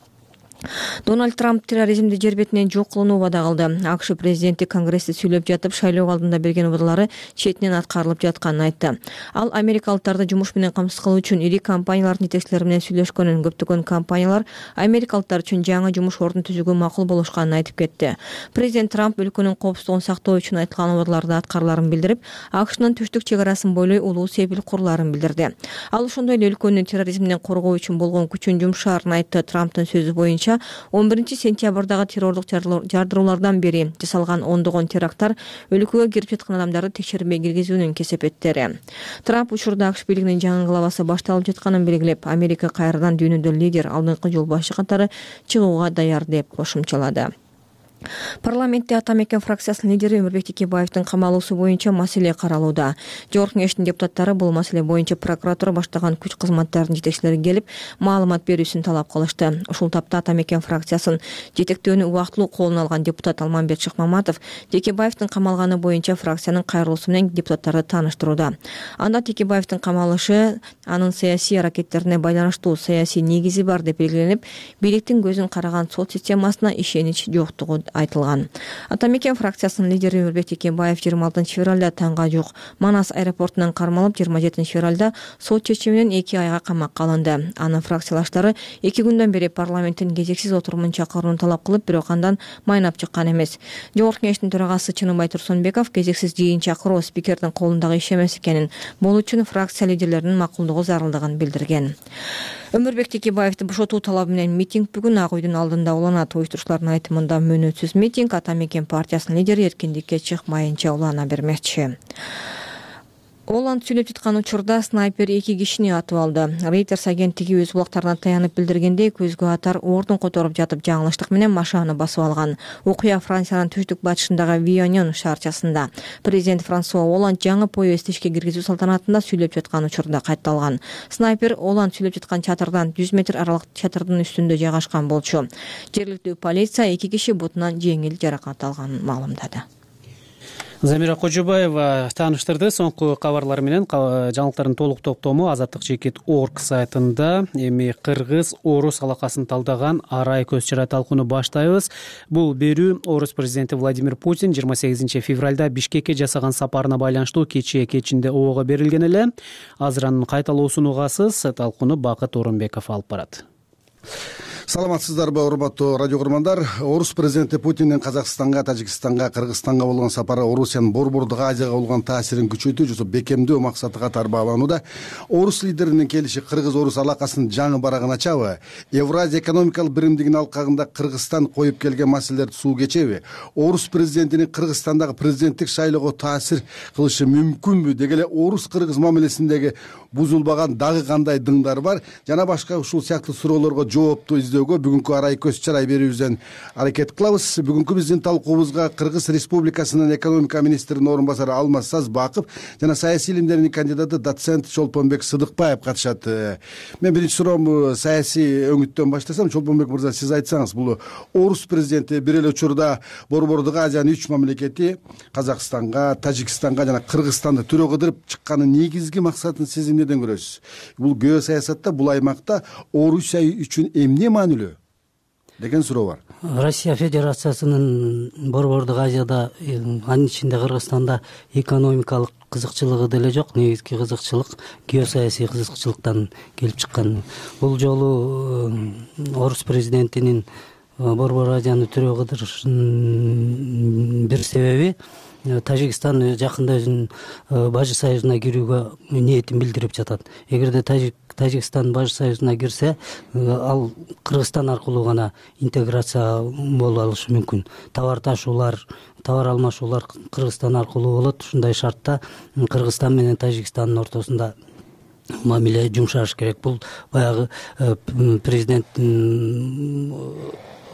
Дональд Трамп терроризмди жер бетинен жок кылууну убада кылды. АКШ президенти Конгрессте сүйлөп жатып, шайлоо алдында берген убадалары четинен аткарылып жатканын айтты. Ал америкалыктарды жумуш менен камсыз кылуу үчүн ири компаниялардын жетекчилери менен сүйлөшкөнүн, көптөгөн компаниялар америкалыктар үчүн жаңы жумуш ордун түзүүгө макул болушканын айтып кетти. Президент Трамп өлкөнүн коопсуздугун сактоо үчүн айтылган убадаларды аткарыларын билдирип, АКШнын түштүк чек арасын бойлой улуу сепил куруларын билдирди. Ал ошондой эле өлкөнү терроризмден коргоо үчүн болгон күчүн жумшаарын айтты. Трамптын сөзү боюнча он биринчи сентябрдагы террорлук жардыруулардан бери жасалган ондогон теракттар өлкөгө кирип жаткан адамдарды текшербей киргизүүнүн кесепеттери. Трамп учурда АКШ бийлигинин жаңы главасы башталып жатканын белгилеп, Америка кайрадан дүйнөдө лидер, алдыңкы жол башы катары чыгууга даяр деп кошумчалады. Парламентте Ата мекен фракциясынын лидери Өмүрбек Текебаевдин камалуусу боюнча маселе каралууда. Жогорку кеңештин депутаттары бул маселе боюнча прокуратура баштаган күч кызматтарынын жетекчилери келип, маалымат берүүсүн талап кылышты. Ушул тапта Ата мекен фракциясын жетектөөнү убактылуу колуна алган депутат Алмамбет Шыкмаматов Текебаевдин камалганы боюнча фракциянын кайрылуусу менен депутаттарды тааныштырууда. Анда Текебаевдин камалышы анын саясий аракеттерине байланыштуу саясий негизи бар деп белгиленип, бийликтин көзүн караган сот системасына ишенич жоктугу айтылган. Ата мекен фракциясынын лидери Өмүрбек Текебаев жыйырма алтынчы февралда таңга жук Манас аэропортунан кармалып, жыйырма жетинчи февралда сот чечими менен эки айга камакка алынды. Анын фракциялаштары эки күндөн бери парламенттин кезексиз отурумун чакырууну талап кылып, бирок андан майнап чыккан эмес. Жогорку кеңештин төрагасы Чыныбай Турсунбеков кезексиз жыйын чакыруу спикердин колундагы иш эмес экенин, бул үчүн фракция лидерлеринин макулдугу зарылдыгын билдирген. Өмүрбек Текебаевди бошотуу талабы менен митинг бүгүн Ак үйдүн алдында уланат. Уюштурушуулардын айтымында мөөнөтсүз митинг Ата мекен партиясынын лидери эркиндикке чыкмайынча улана бермекчи. Оланд сүйлөп жаткан учурда снайпер эки кишини атып алды. Reuters агенттиги өз булактарына таянып билдиргендей, көзгө атар ордун которуп жатып жаңылыштык менен машинаны басып алган. Окуя Франциянын түштүк батышындагы Вионен шаарчасында. Президент Франсуа Оланд жаңы поезд ишке киргизүү салтанатында сүйлөп жаткан учурда катталган. Снайпер Оланд сүйлөп жаткан чатырдан жүз метр аралык чатырдын үстүндө жайгашкан болчу. Жергиликтүү полиция эки киши бутунан жеңил жаракат алганын маалымдады. Замира Кожобаева тааныштырды. Соңку кабарлар менен жаңылыктардын толук топтому азаттык чекит орг сайтында. Эми кыргыз орус алакасын талдаган арай көз чара талкууну баштайбыз. Бул берүү орус президенти Владимир Путин жыйырма сегизинчи февралда Бишкекке жасаган сапарына байланыштуу кечээ кечинде ого берилген эле. Азыр анын кайталоосун угасыз. Талкууну Бакыт Орунбеков алып барат. Саламатсыздарбы, урматтуу радио көрөрмандар. Орус президенти Путиндин Казакстанга, Тажикстанга, Кыргызстанга болгон сапары Орусиянын Борбордук Азияга болгон таасирин күчөтүү жана бекемдөө максаты катары бааланууда. Орус лидеринин келиши кыргыз-орус алакасынын жаңы барагын ачабы? Евразия экономикалык биримдигинин алкагында Кыргызстан коюп келген маселелерди суу кечеби? Орус президентинин Кыргызстандагы президенттик шайлоого таасир кылышы мүмкүнбү? Деги эле орус-кыргыз мамилесиндеги бузулбаган дагы кандай дыңдар бар? Жана башка ушул сыяктуу суроолорго жоопту издөөгө бүгүнкү арай көз чарай берүүбүздөн аракет кылабыз. Бүгүнкү биздин талкуубузга Кыргыз Республикасынын экономика министринин орун басары Алмаз Сазбаков жана саясий илимдердин кандидаты доцент Чолпонбек Сыдыкбаев катышат. Мен биринчи суроомду саясий өңүттөн баштасам. Чолпонбек мырза, сиз айтсаңыз, бул орус президенти бир эле учурда Борбордук Азиянын үч мамлекети Казакстанга, Тажикстанга жана Кыргызстанды түрө кыдырып чыкканын негизги максатын сиз эмнеден көрөсүз? Бул геосаясатта, бул аймакта Орусия үчүн эмне маанилүү деген суроо бар. Россия Федерациясынын Борбордук Азияда, анын ичинде Кыргызстанда экономикалык кызыкчылыгы деле жок. Негизги кызыкчылык геосаясий кызыкчылыктан келип чыккан. Бул жолу орус президентинин Борбор Азияны түрө кыдырышынын бир себеби Тажикстан жакында өзүнүн Бажы союзуна кирүүгө ниетин билдирип жатат. Эгерде Тажикстан Бажы союзуна кирсе, ал Кыргызстан аркылуу гана интеграция боло алышы мүмкүн. Товар ташуулар, товар алмашуулар Кыргызстан аркылуу болот. Ушундай шартта Кыргызстан менен Тажикстандын ортосунда мамиле жумшаш керек. Бул баягы президенттин,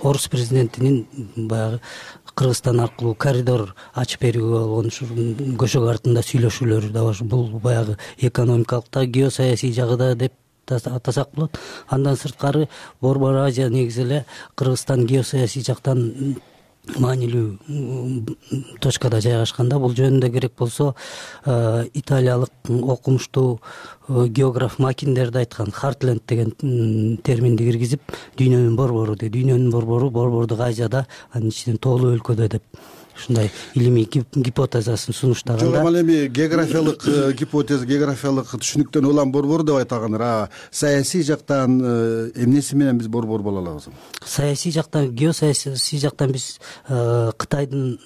орус президентинин баягы Кыргызстан аркылуу коридор ачып берүүгө болгон көшөгө артында сүйлөшүүлөрү да бар. Бул баягы экономикалык да, геосаясий жагы да деп атасак болот. Андан сырткары Борбор Азия негизи эле Кыргызстан геосаясий жактан маанилүү точкада жайгашканда. Бул жөнүндө керек болсо италиялык окумуштуу географ Макиндерди айткан, Хартленд деген терминди киргизип, дүйнөнүн борбору дейт. Дүйнөнүн борбору Борбордук Азияда, анын ичинен тоолуу өлкөдө деп ушундай илимий гипотезасын сунуштаганда. Жок, ал эми географиялык гипотеза, географиялык түшүнүктөн улам борбор деп айтылгандар. А саясий жактан эмнеси менен биз борбор боло алабыз? Саясий жактан, геосаясий жактан биз Кытайдын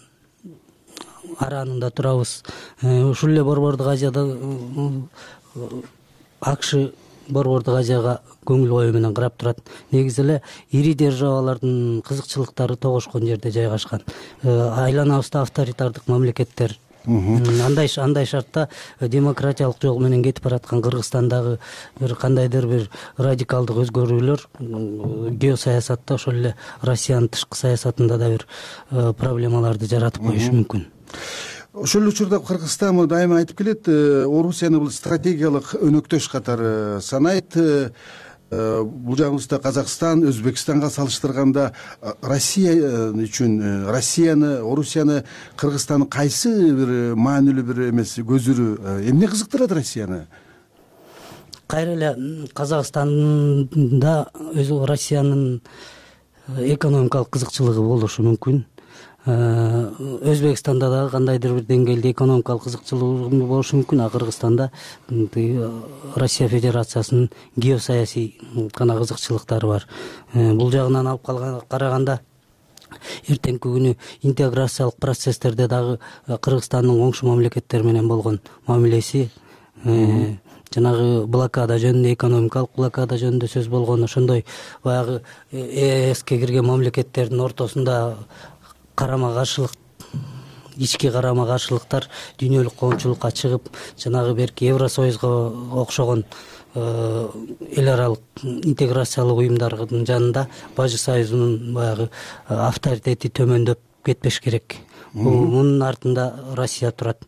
араанында турабыз. Ушул эле Борбордук Азияда АКШ Борбордук Азияга көңүл коюу менен карап турат. Негизи эле ири державалардын кызыкчылыктары тогошкон жерде жайгашкан. Айланабызда авторитардык мамлекеттер. Андай андай шартта демократиялык жол менен кетип бараткан Кыргызстандагы бир кандайдыр бир радикалдык өзгөрүүлөр геосаясатта, ошол эле Россиянын тышкы саясатында да бир проблемаларды жаратып коюшу мүмкүн. Ошол учурда Кыргызстан дайыма айтып келет, Орусияны бул стратегиялык өнөктөш катары санайт. Бул жагыбызда Казакстан, Өзбекстанга салыштырганда Россия үчүн Россияны, Орусияны, Кыргызстанды кайсы бир маанилүү бир эмес көзүрү, эмне кызыктырат Россияны? Кайра эле Казакстанда өзү Россиянын экономикалык кызыкчылыгы болушу мүмкүн. Өзбекстанда да кандайдыр бир деңгээлде экономикалык кызыкчылыгы болушу мүмкүн, а Кыргызстанда Россия Федерациясынын геосаясий гана кызыкчылыктары бар. Бул жагынан алып караганда эртеңки күнү интеграциялык процесстерде дагы Кыргызстандын коңшу мамлекеттер менен болгон мамилеси, жанагы блокада жөнүндө, экономикалык блокада жөнүндө сөз болгон, ошондой баягы ЭСке кирген мамлекеттердин ортосунда карама каршылык, ички карама каршылыктар дүйнөлүк коомчулукка чыгып, жанагы берки Евросоюзго окшогон эл аралык интеграциялык уюмдардын жанында Бажы союзунун баягы авторитети төмөндөп кетпеш керек. Мунун артында Россия турат.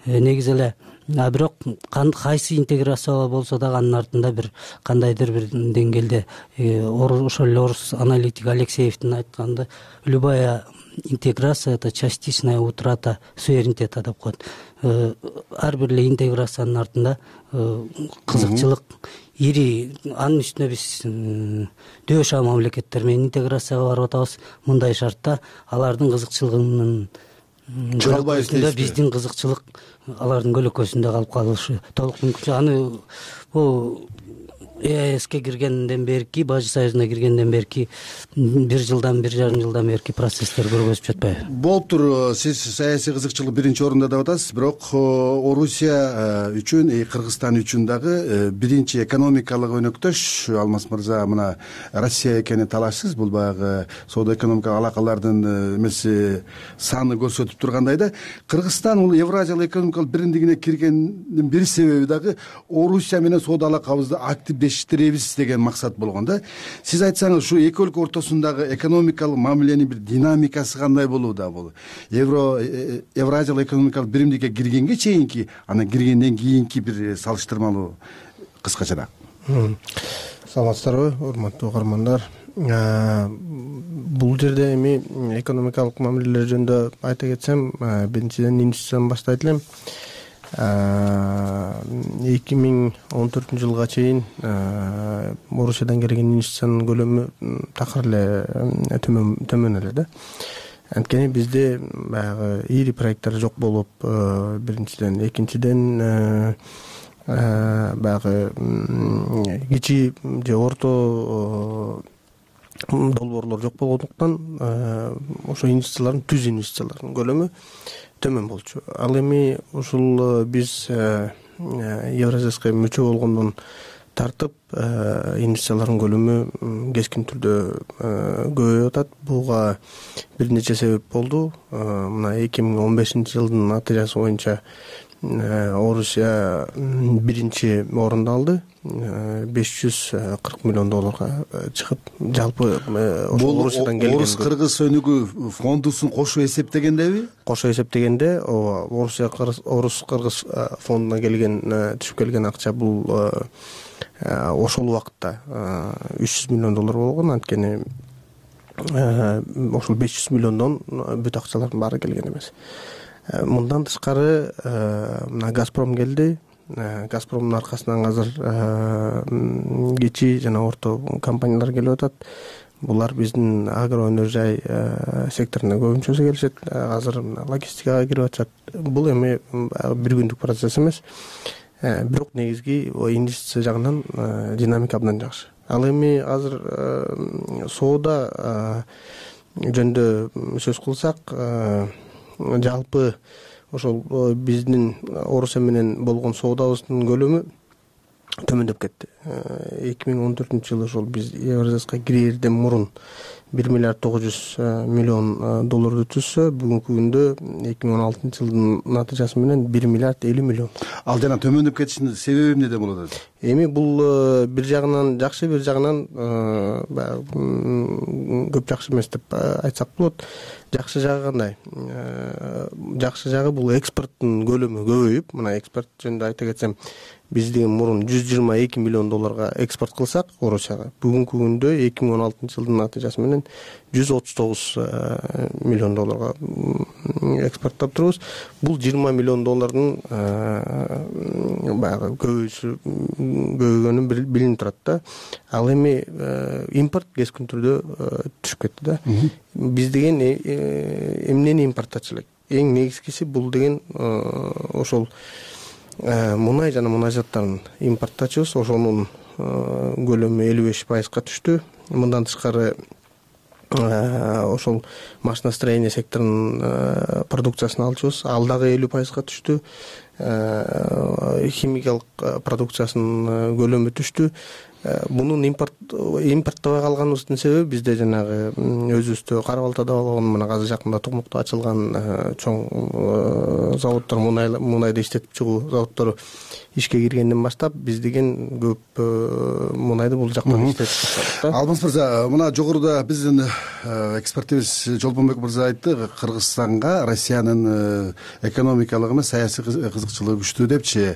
Негизи эле а бирок кайсы интеграция болсо дагы анын артында бир кандайдыр бир деңгээлде ошол эле орус аналитик Алексеевдин айтканды любая интеграция это частичная утрата суверенитета деп коет. Ар бир эле интеграциянын артында кызыкчылык ири, анын үстүнө биз дөш мамлекеттер менен интеграцияга барып атабыз. Мындай шартта алардын кызыкчылыгынын көлөкөсүндө биздин кызыкчылык алардын көлөкөсүндө калып калышы толук мүмкүн. Аны бул ЕАЭСке киргенден берки, Бажы союзуна киргенден берки бир жылдан бир жарым жылдан берки процесстер көргөзүп жатпайбы? Болуптур, сиз саясий кызыкчылык биринчи орунда деп атасыз, бирок Орусия үчүн, Кыргызстан үчүн дагы биринчи экономикалык өнөктөш Алмаз мырза мына Россия экени талашсыз. Бул баягы соода экономикалык алакалардын эмеси саны көрсөтүп тургандай да. Кыргызстан бул Евразиялык экономикалык биримдигине киргендин бир себеби дагы Орусия менен соода алакабызды активдештиребиз деген максат болгон да. Сиз айтсаңыз, ушу эки өлкө ортосундагы экономикалык мамиленин бир динамикасы кандай болууда? Бул Евро Евразиялык экономикалык биримдикке киргенге чейинки, анан киргенден кийинки бир салыштырмалуу кыскачараак. Саламатсыздарбы, урматтуу угармандар. Бул жерде эми экономикалык мамилелер жөнүндө айта кетсем, биринчиден инвестициядан баштайт элем. эки миң он төртүнчү жылга чейин Орусиядан келген инвестициянын көлөмү такыр эле төмөн эле да. Анткени бизде баягы ири проекттер жок болуп, биринчиден, экинчиден баягы кичи же орто долбоорлор жок болгондуктан ошо инвестициялардын түз инвестициялардын көлөмү төмөн болчу. Ал эми ушул биз Евразияска мүчө болгондон тартып инвестициялардын көлөмү кескин түрдө көбөйүп атат. Буга бир нече себеп болду. Мына эки миң он бешинчи жылдын натыйжасы боюнча Орусия биринчи орунду алды. беш жүз кырк миллион долларга чыгып, жалпы ошол Орусиядан келген. Орус кыргыз өнүгүү фондусун кошо эсептегендеби? Кошо эсептегенде, Орусия Орус кыргыз фондуна келген, түшүп келген акча бул ошол убакытта үч жүз миллион доллар болгон. Анткени ошол беш жүз миллиондон бүт акчалардын баары келген эмес. Мындан тышкары мына Газпром келди. Газпромдун аркасынан азыр кичи жана орто компаниялар келип атат. Булар биздин агро өнөр жай секторуна көбүнчөсү келишет. Азыр логистикага кирип атышат. Бул эми бир күндүк процесс эмес. Бирок негизги инвестиция жагынан динамика абдан жакшы. Ал эми азыр соода жөнүндө сөз кылсак, жалпы ошол биздин Орусия менен болгон соодабыздын көлөмү төмөндөп кетти. эки миң он төртүнчү жылы ошол биз Евразияска кирерден мурун бир миллиард тогуз жүз миллион долларды түзсө, бүгүнкү күндө эки миң он алтынчы жылдын натыйжасы менен бир миллиард элүү миллион. Ал жана төмөндөп кетишинин себеби эмнеде болот? Эми бул бир жагынан жакшы, бир жагынан көп жакшы эмес деп айтсак болот. Жакшы жагы кандай? Жакшы жагы бул экспорттун көлөмү көбөйүп, мына экспорт жөнүндө айта кетсем, биз деген мурун жүз жыйырма эки миллион долларга экспорт кылсак Орусияга, бүгүнкү күндө эки миң он алтынчы жылдын натыйжасы менен жүз отуз тогуз миллион долларга экспорттоп турубуз. Бул жыйырма миллион доллардын баягы көбөйүшү көбөйгөнү билинип турат да. Ал эми импорт кескин түрдө түшүп кетти да. Биз деген эмнени импорттачу элек? Эң негизгиси бул деген ошол мунай жана мунай заттарын импорттачубуз. Ошонун көлөмү элүү беш пайызга түштү. Мындан тышкары ошол машиностроение секторунун продукциясын алчубуз. Ал дагы элүү пайызга түштү. Химикалык продукциясынын көлөмү түштү. мунун импорт импорттобой калганыбыздын себеби бизде жанагы өзүбүздө Кара Балтада болгон мына азыр жакында Токмокто ачылган чоң заводдор мунайды иштетип чыгуу заводдору ишке киргенден баштап биз деген көп мунайды бул жактан иштетип баштадык да. Алмаз мырза, мына жогоруда биздин экспертибиз Жолбонбек мырза айтты, Кыргызстанга Россиянын экономикалык эмес саясий кызыкчылыгы күчтүү депчи.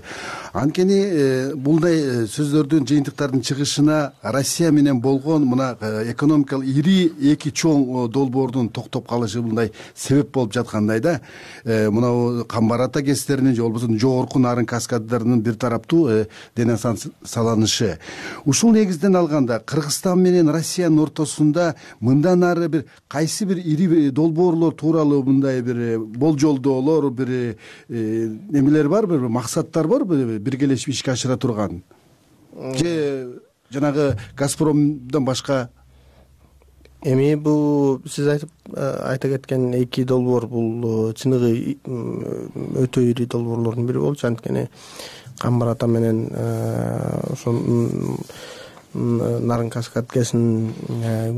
Анткени булдай сөздөрдүн, жыйынтыктардын чыгышына Россия менен болгон мына экономикалык ири эки чоң долбоордун токтоп калышы мындай себеп болуп жаткандай да. Мына Камбар ата кестеринин же болбосо жогорку нарын каскаддарынын бир тараптуу дене саланышы. Ушул негизден алганда Кыргызстан менен Россиянын ортосунда мындан ары бир кайсы бир ири долбоорлор тууралуу мындай бир болжолдоолор, бир немелер барбы, бир максаттар барбы биргелешип ишке ашыра турган? Же жанагы Газпромдон башка? Эми бул сиз айтып айта кеткен эки долбоор бул чыныгы өтө ири долбоорлордун бири болчу. Анткени Камбар ата менен ошол Нарын каскадкесинин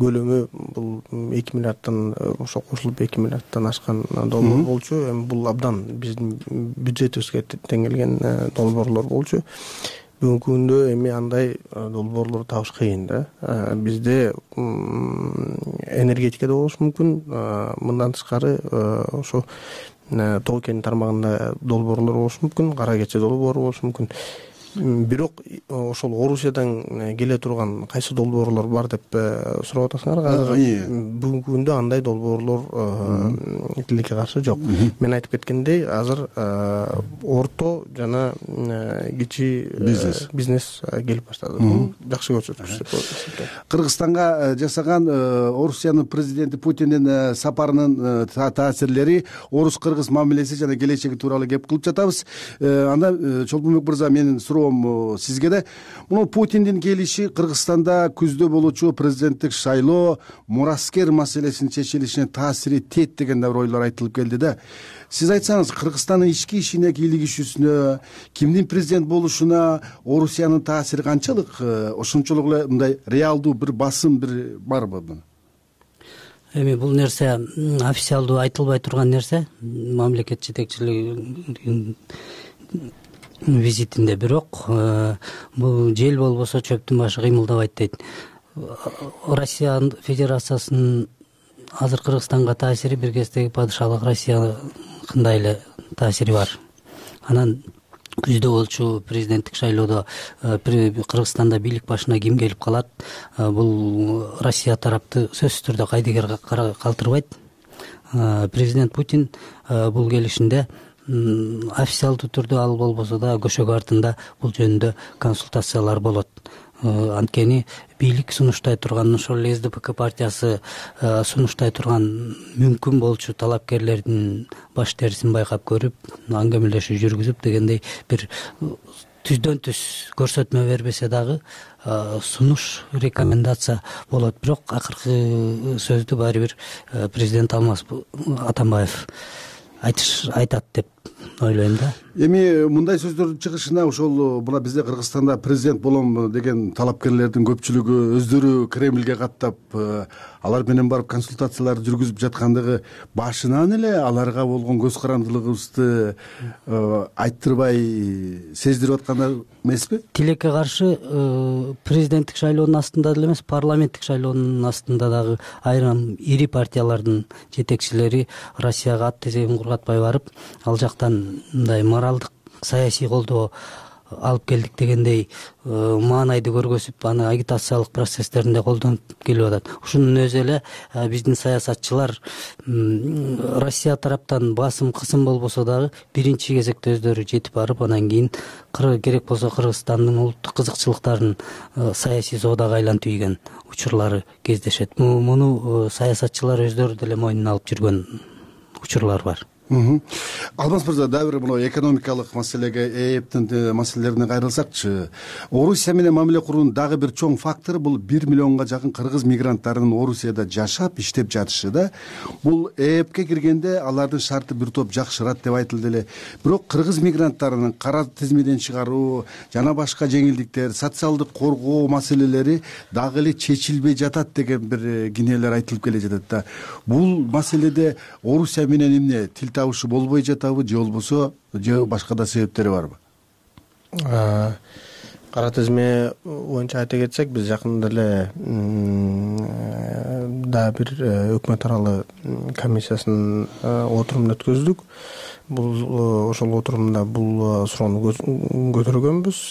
көлөмү бул эки миллиардтан ошо кошулуп эки миллиардтан ашкан долбоор болчу. Эми бул абдан биздин бюджетибизге тең келген долбоорлор болчу. Бүгүнкү күндө эми андай долбоорлорду табыш кыйын да. Бизде энергетикада болушу мүмкүн, мындан тышкары ошо Тоо кен тармагында долбоорлор болушу мүмкүн, Кара Кече долбоору болушу мүмкүн. Бирок ошол Орусиядан келе турган кайсы долбоорлор бар деп сурап атасыңар. Азыр бүгүнкү күндө андай долбоорлор тилекке каршы жок. Мен айтып кеткендей, азыр орто жана кичи бизнес бизнес келип баштады. Бул жакшы көрсөткүч деп ойлойм. Кыргызстанга жасаган Орусиянын президенти Путиндин сапарынын таасирлери, орус-кыргыз мамилеси жана келечеги тууралуу кеп кылып жатабыз. Анда Чолбонбек мырза, менин суроо сизге да, мына Путиндин келиши Кыргызстанда күздө болуучу президенттик шайлоо, мураскер маселесинин чечилишине таасири тиет деген да бир ойлор айтылып келди да. Сиз айтсаңыз, Кыргызстандын ички ишине, кийлигишүүсүнө, кимдин президент болушуна Орусиянын таасири канчалык? Ошончолук эле мындай реалдуу бир басым бир барбы? Эми бул нерсе официалдуу айтылбай турган нерсе, мамлекет жетекчилигинин визитинде. Бирок бул жел болбосо чөптүн башы кыймылдабайт дейт. Россия Федерациясынын азыр Кыргызстанга таасири бир кездеги падышалык Россиякындай эле таасири бар. Анан күздө болчу президенттик шайлоодо Кыргызстанда бийлик башына ким келип калат, бул Россия тарапты сөзсүз түрдө кайдыгер калтырбайт. Президент Путин бул келишинде официалдуу түрдө, ал болбосо да көшөгө артында бул жөнүндө консультациялар болот. Анткени бийлик сунуштай турган, ошол эле эс дэ пэ ка партиясы сунуштай турган мүмкүн болчу талапкерлердин баш терисин байкап көрүп, аңгемелешүү жүргүзүп дегендей бир түздөн түз көрсөтмө бербесе дагы сунуш, рекомендация болот. Бирок акыркы сөздү баары бир президент Алмаз Атамбаев айтыш айтат деп ойлойм да. Эми мындай сөздөрдүн чыгышына ошол мына бизде Кыргызстанда президент болом деген талапкерлердин көпчүлүгү өздөрү Кремльге каттап, алар менен барып консультацияларды жүргүзүп жаткандыгы башынан эле аларга болгон көз карандылыгыбызды айттырбай сездирип аткандар эмеспи? Тилекке каршы президенттик шайлоонун астында деле эмес, парламенттик шайлоонун астында дагы айрым ири партиялардын жетекчилери Россияга ат тезегин кургатпай барып, ал жактан мындай моралдык саясий колдоо алып келдик дегендей маанайды көргөзүп, аны агитациялык процесстеринде колдонуп келип атат. Ушунун өзү эле биздин саясатчылар Россия тараптан басым кысым болбосо дагы биринчи кезекте өздөрү жетип барып, анан кийин керек болсо Кыргызстандын улуттук кызыкчылыктарын саясий соодага айлантып ийген учурлары кездешет. Муну саясатчылар өздөрү деле мойнуна алып жүргөн учурлар бар. Алмаз мырза, дагы бир мына экономикалык маселеге, ээптин маселелерине кайрылсакчы, Орусия менен мамиле куруунун дагы бир чоң фактору бул бир миллионго жакын кыргыз мигранттарынын Орусияда жашап, иштеп жатышы да. Бул ээпке киргенде алардын шарты бир топ жакшырат деп айтылды эле. Бирок кыргыз мигранттарынын кара тизмеден чыгаруу жана башка жеңилдиктер, социалдык коргоо маселелери дагы эле чечилбей жатат деген бир кинелер айтылып келе жатат да. Бул маселеде Орусия менен эмне тил табышы болбой жатабы, же болбосо же башка да себептери барбы? Кара тизме боюнча айта кетсек, биз жакында эле дагы бир өкмөт аралуу комиссиясынын отурумун өткөздүк. Бул ошол отурумда бул суроону көтөргөнбүз.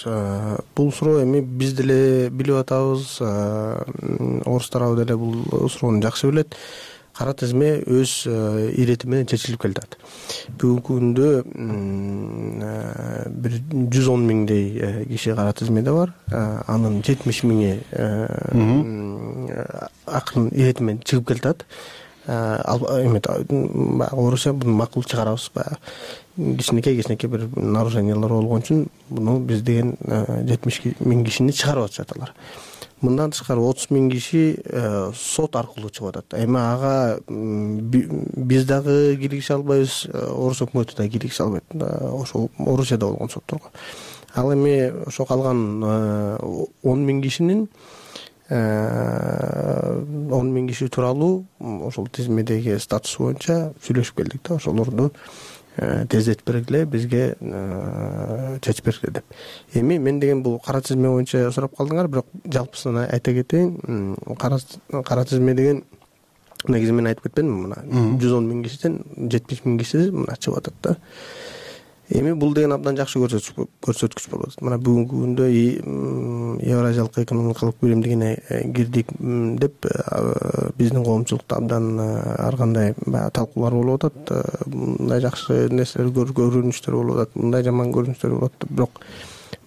Бул суроо эми биз деле билип атабыз, орустар абы деле бул суроону жакшы билет. Кара тизме өз ирети менен чечилип келатат. Бүгүнкү күндө бир жүз он миңдей киши кара тизмеде бар. Анын жетимиш миңи акырын ирети менен чыгып келатат. Орусия буну макул чыгарабыз. Кичинекей кичинекей бир нарушениялар болгон үчүн буну биз деген жетимиш миң кишини чыгарып атышат алар. Мындан тышкары отуз миң киши сот аркылуу чыгып атат. Эми ага биз дагы киргизе албайбыз, Орус өкмөтү да киргизе албайт. Ошол Орусияда болгон сотторго. Ал эми ошо калган он миң кишинин он миң киши тууралуу ошол тизмедеги статусу боюнча сүйлөшүп келдик да, ошолорду тездетип бергиле, бизге чечип бергиле деп. Эми мен деген бул кара тизме боюнча сурап калдыңар, бирок жалпысынан айта кетейин, кара тизме деген негизи мен айтып кетпедимби, мына жүз он миң кишиден жетимиш миң киши мына чыгып атат да. Эми бул деген абдан жакшы көрсөткүч болуп атат. Мына бүгүнкү күндө Евразиялык экономикалык биримдигине кирдик деп биздин коомчулукта абдан ар кандай талкуулар болуп атат. Мындай жакшы нерселер, көрүнүштөр болуп атат, мындай жаман көрүнүштөр болуп атат. Бирок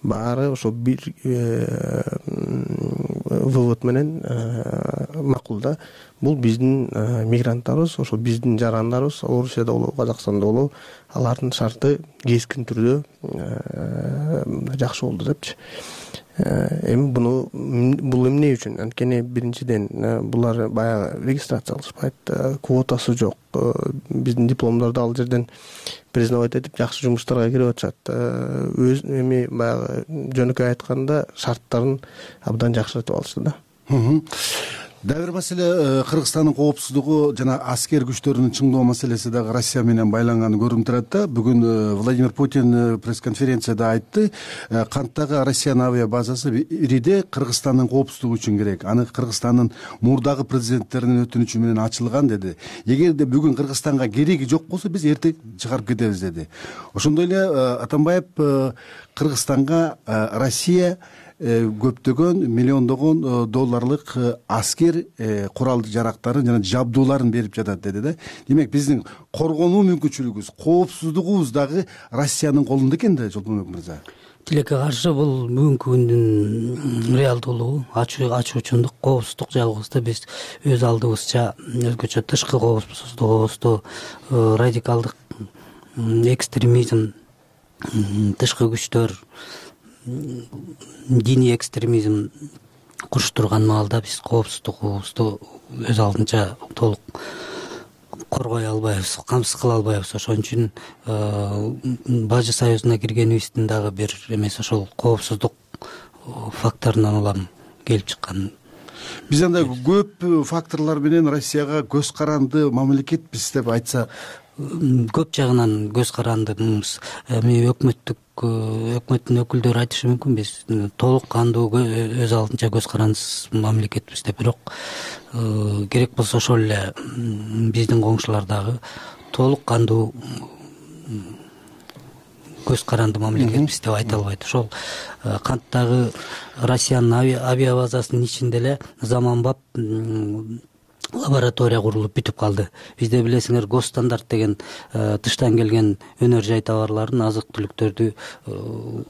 баары ошо бир вывод менен макул да. Бул биздин мигранттарыбыз, ошол биздин жарандарыбыз, Орусияда болобу, Казакстанда болобу, алардын шарты кескин түрдө жакшы болду депчи. Эми буну бул эмне үчүн? Анткени биринчиден булар баягы регистрациялашпайт, квотасы жок. Биздин дипломдорду ал жерден признавать этип жакшы жумуштарга кирип атышат. Өз эми баягы жөнөкөй айтканда шарттарын абдан жакшыртып алышты да. Дагы бир маселе, Кыргызстандын коопсуздугу жана аскер күчтөрүнүн чыңдоо маселеси дагы Россия менен байланганы көрүнүп турат да. Бүгүн Владимир Путин пресс-конференцияда айтты, канттагы Россиянын авиа базасы Ириде Кыргызстандын коопсуздугу үчүн керек. Аны Кыргызстандын мурдагы президенттеринин өтүнүчү менен ачылган деди. Эгерде бүгүн Кыргызстанга кереги жок болсо, биз эртең чыгарып кетебиз деди. Ошондой эле Атамбаев Кыргызстанга Россия көптөгөн миллиондогон долларлык аскер куралды жарактарын жана жабдууларын берип жатат деди да. Демек биздин коргонуу мүмкүнчүлүгүбүз, коопсуздугубуз дагы Россиянын колунда экен да, Жолбонбек мырза. Тилекке каршы бул бүгүнкү күндүн реалдуулугу, ачуучундук, коопсуздук жагыбызда биз өз алдыбызча өзгөчө тышкы коопсуздугубузду радикалдык экстремизм, тышкы күчтөр, диний экстремизм куруштурган маалда биз коопсуздугубузду өз алдынча толук коргой албайбыз, камсыз кыла албайбыз. Ошон үчүн Бажы союзуна киргенибиздин дагы бир эмес ошол коопсуздук факторунан улам келип чыккан. Биз анда көп факторлор менен Россияга көз каранды мамлекетпиз деп айтса, көп жагынан көз карандыбыз. Эми өкмөттүк өкмөттүн өкүлдөрү айтышы мүмкүн, биз толук кандуу өз алдынча көз карандысыз мамлекетпиз деп. Бирок керек болсо ошол эле биздин коңшулар дагы толук кандуу көз каранды мамлекетпиз деп айта албайт. Ошол канттагы Россиянын авиабазасынын ичинде эле заманбап лаборатория курулуп бүтүп калды. Бизде билесиңер гос стандарт деген тыштан келген өнөр жай товарларын, азык түлүктөрдү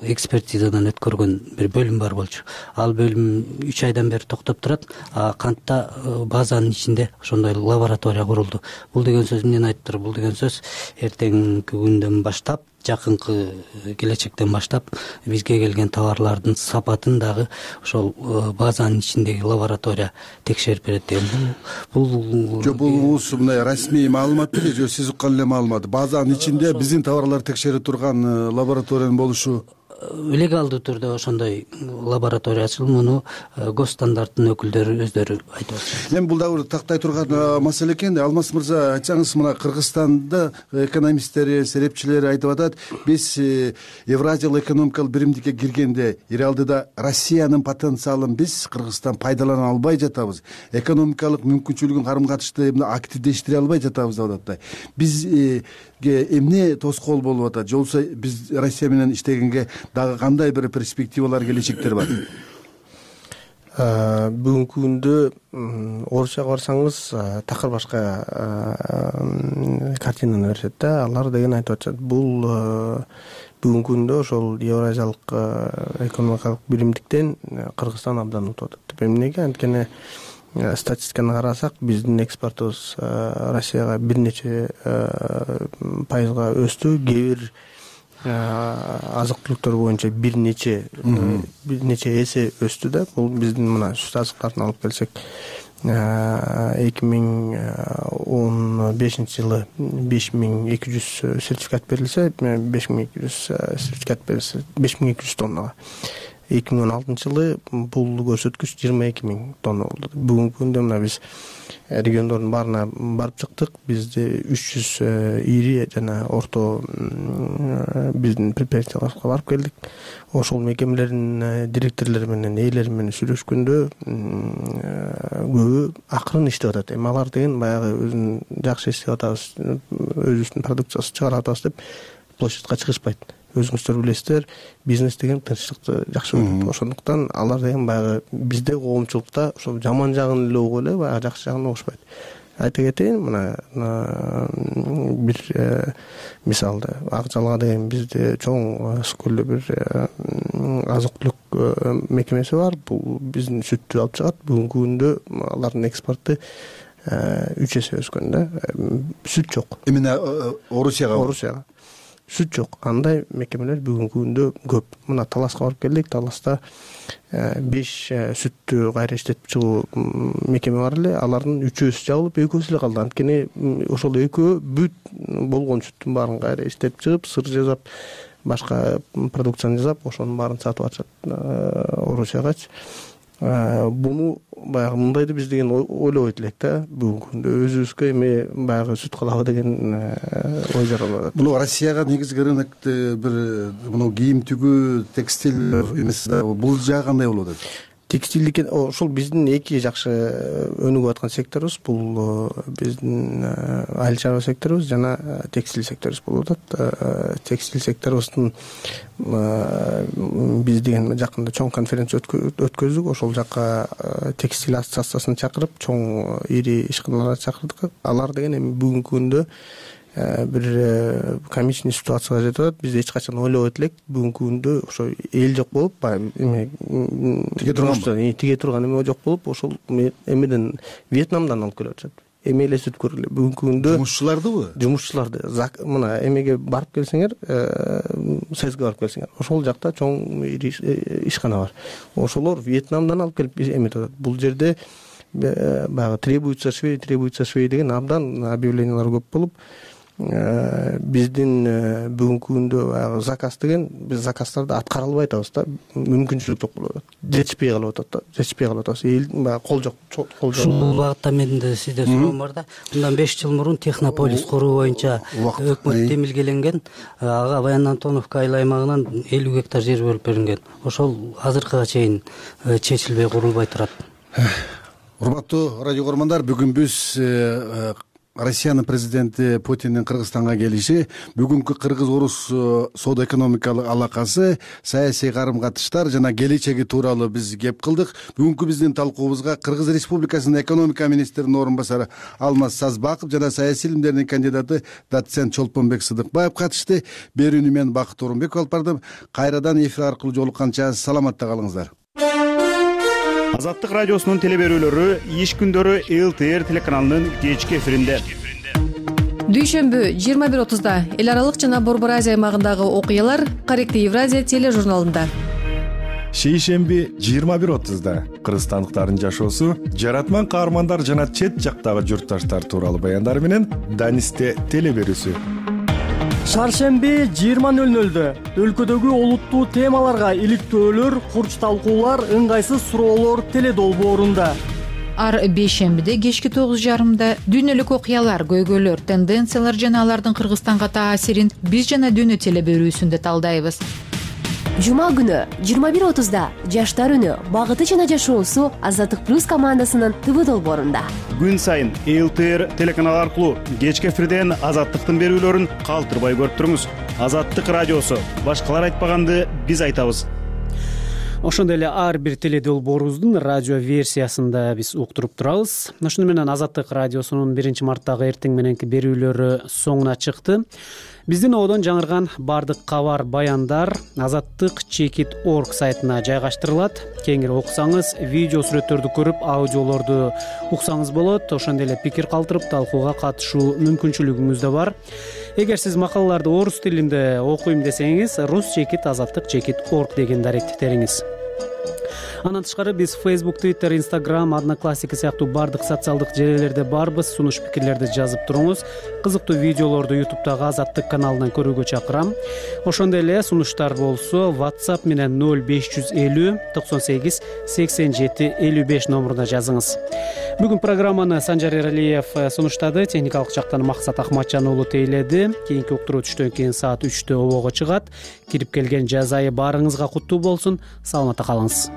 экспертизадан өткөргөн бир бөлүм бар болчу. Ал бөлүм үч айдан бери токтоп турат. Кантта базанын ичинде ошондой лаборатория курулду. Бул деген сөз эмнени айтып тур? Бул деген сөз эртеңки күндөн баштап, жакынкы келечектен баштап бизге келген товарлардын сапатын дагы ошол базанын ичиндеги лаборатория текшерип берет деген. Бул жок, бул мындай расмий маалымат беле же сиз уккан эле маалымат? Базанын ичинде биздин товарларды текшерип турган лабораториянын болушу легалдуу түрдө ошондой лаборатория ачылып, муну гос стандарттын өкүлдөрү өздөрү айтып атышат. Эми бул дагы бир тактай турган маселе экен да. Алмаз мырза, айтсаңыз, мына Кыргызстанда экономисттери, серепчилери айтып атат, биз Евразиялык экономикалык биримдикке киргенде реалдыда Россиянын потенциалын биз Кыргызстан пайдалана албай жатабыз. Экономикалык мүмкүнчүлүгүн, карым-катышты активдештире албай жатабыз деп атат. Биз эмне тоскоол болуп атат? Же болбосо биз Россия менен иштегенге дагы кандай бир перспективалар, келечектер бар? Бүгүнкү күндө орусчага барсаңыз такыр башка картинаны беришет да. Алар деген айтып атышат, бул бүгүнкү күндө ошол Евразиялык экономикалык биримдиктен Кыргызстан абдан утуп атат. Эмнеге? Анткени статистиканы карасак, биздин экспортубуз Россияга бир нече пайызга өстү. Кээ бир азык түлүктөр боюнча бир нече бир нече эсе өстү да. Бул биздин мына сүт азыктарын алып келсек, эки миң он бешинчи жылы беш миң эки жүз сертификат берилсе, беш миң эки жүз сертификат берилсе, беш миң эки жүз тоннага. эки миң он алтынчы жылы бул көрсөткүч жыйырма эки миң тонна болду. Бүгүнкү күндө мына биз региондордун баарына барып чыктык. Бизде үч жүз ири жана орто биздин предприятияларга барып келдик. Ошол мекемелердин директорлору менен, ээлери менен сүйлөшкөндө көбү акырын иштеп атат. Эми алар деген баягы өзүн жакшы иштеп атабыз, өзүбүздүн продукциясын чыгарып атабыз деп площадька чыгышпайт. Өзүңүздөр билесиздер, бизнес деген тынчтыкты жакшы көрөт. Ошондуктан алар деген баягы бизде коомчулукта ошол жаман жагын эле угуп эле, баягы жакшы жагын угушпайт. Айта кетейин, мына бир мисалды, Ак Жалга деген бизде чоң скөлдө бир азык түлүк мекемеси бар. Бул биздин сүттү алып чыгат. Бүгүнкү күндө алардын экспорту үч эсе өскөн да. Сүт жок. Эмне Орусияга? Орусияга. Сүт жок. Андай мекемелер бүгүнкү күндө көп. Мына Таласка барып келдик. Таласта беш сүттү кайра иштетип чыгуу мекеме бар эле. Алардын үчөөсү жабылып, экөөсү эле калды. Анткени ошол экөө бүт болгон сүттүн баарын кайра иштетип чыгып, сыр жасап, башка продукцияны жасап, ошонун баарын сатып атышат Орусиягачы. Буну баягы мындайды биз деген ойлобойт элек да. Бүгүнкү күндө өзүбүзгө эми баягы сүт кылабы деген ой жаралып атат. Муну Россияга негизги рынокты бир муну кийим тигүү, текстиль эмес, бул жагы кандай болуп атат? Текстилдик ошол биздин эки жакшы өнүгүп аткан секторубуз. Бул биздин айыл чарба секторубуз жана текстиль секторубуз болуп атат. Текстиль секторубуздун биз деген жакында чоң конференция өткөздүк. Ошол жакка текстиль ассоциациясын чакырып, чоң ири ишканаларды чакырдык. Алар деген эми бүгүнкү күндө бир комичный ситуацияга жетип атат. Биз эч качан ойлобойт элек. Бүгүнкү күндө ошо эл жок болуп, баягы эме тиге турган тиге турган эме жок болуп, ошол эмеден Вьетнамдан алып келип атышат. Эме эле сүт көргүлө. Бүгүнкү күндө жумушчулардыбы? Жумушчуларды. Мына эмеге барып келсеңер, Союзга барып келсеңер, ошол жакта чоң ишкана бар. Ошолор Вьетнамдан алып келип эметип атат. Бул жерде баягы требуется швей, требуется швей деген абдан объявлениялар көп болуп, биздин бүгүнкү күндө баягы заказ деген, биз заказдарды аткара албай атабыз да. Мүмкүнчүлүк жок болуп атат. Жетишпей калып атат да. Жетишпей калып атабыз. Эл баягы кол жок, кол жок. Ушул багытта менин да сизде суроом бар да. Мындан беш жыл мурун Технополис куруу боюнча өкмөт демилгеленген. Ага Баян Антоновка айыл аймагынан элүү гектар жер бөлүп берилген. Ошол азыркыга чейин чечилбей курулбай турат. Урматтуу радио көрөрмандар, бүгүн биз Россиянын президенти Путиндин Кыргызстанга келиши, бүгүнкү кыргыз-орус соода экономикалык алакасы, саясий карым-катыштар жана келечеги тууралуу биз кеп кылдык. Бүгүнкү биздин талкуубузга Кыргыз Республикасынын экономика министринин орун басары Алмаз Сазбаков жана саясий илимдердин кандидаты доцент Чолпонбек Сыдыкбаев катышты. Берүүнү мен Бакыт Орунбеков алып бардым. Кайрадан эфир аркылуу жолукканча саламатта калыңыздар. Азаттык радиосунун телеберүүлөрү иш күндөрү эл тэ эр телеканалынын кечки эфиринде. Дүйшөмбү жыйырма бир отузда эл аралык жана Борбор Азия аймагындагы окуялар Корректив Евразия тележурналында. Шейшемби жыйырма бир отузда кыргызстандыктардын жашоосу, жаратман каармандар жана чет жактагы журтташтар тууралуу баяндар менен Данисте телеберүүсү. Шаршемби жыйырма нөл нөлдө өлкөдөгү олуттуу темаларга иликтөөлөр, курч талкуулар, ыңгайсыз суроолор теледолбоорунда. Ар бейшембиде кечки тогуз жарымда дүйнөлүк окуялар, көйгөйлөр, тенденциялар жана алардын Кыргызстанга таасирин биз жана дүйнө телеберүүсүндө талдайбыз. Жума күнү жыйырма бир отузда жаштар үнү, багыты жана жашоосу Азаттык плюс командасынын ТВ долбоорунда. Күн сайын эл тэ эр телеканалы аркылуу кечки эфирден Азаттыктын берүүлөрүн калтырбай көрүп туруңуз. Азаттык радиосу, башкалар айтпаганды биз айтабыз. Ошондой эле ар бир теледолбоорубуздун радио версиясында биз уктуруп турабыз. Ошону менен Азаттык радиосунун биринчи марттагы эртең мененки берүүлөрү соңуна чыкты. Биздин одон жаңырган бардык кабар, баяндар азаттык чекит точка орг сайтына жайгаштырылат. Кеңири окусаңыз, видео сүрөттөрдү көрүп, аудиолорду уксаңыз болот. Ошондой эле пикир калтырып, талкууга катышуу мүмкүнчүлүгүңүз да бар. Эгер сиз макалаларды орус тилинде окуйм десеңиз, рус чекит азаттык чекит точка орг дегенди аракеттетериңиз. Андан тышкары биз Facebook, Twitter, Instagram, Одноклассники сыяктуу бардык социалдык желелерде барбыз. Сунуш пикирлерди жазып туруңуз. Кызыктуу видеолорду YouTube'дагы Азаттык каналынан көрүүгө чакырам. Ошондой эле сунуштар болсо WhatsApp менен ноль беш жүз элүү токсон сегиз сексен жети элүү беш номуруна жазыңыз. Бүгүн программаны Санжар Эралиев сунуштады. Техникалык жактан Максат Ахматжан уулу тейледи. Кийинки уктуруу түштөн кийин саат үчтө обого чыгат. Кирип келген жаз айы баарыңызга куттуу болсун. Саламатта калыңыз.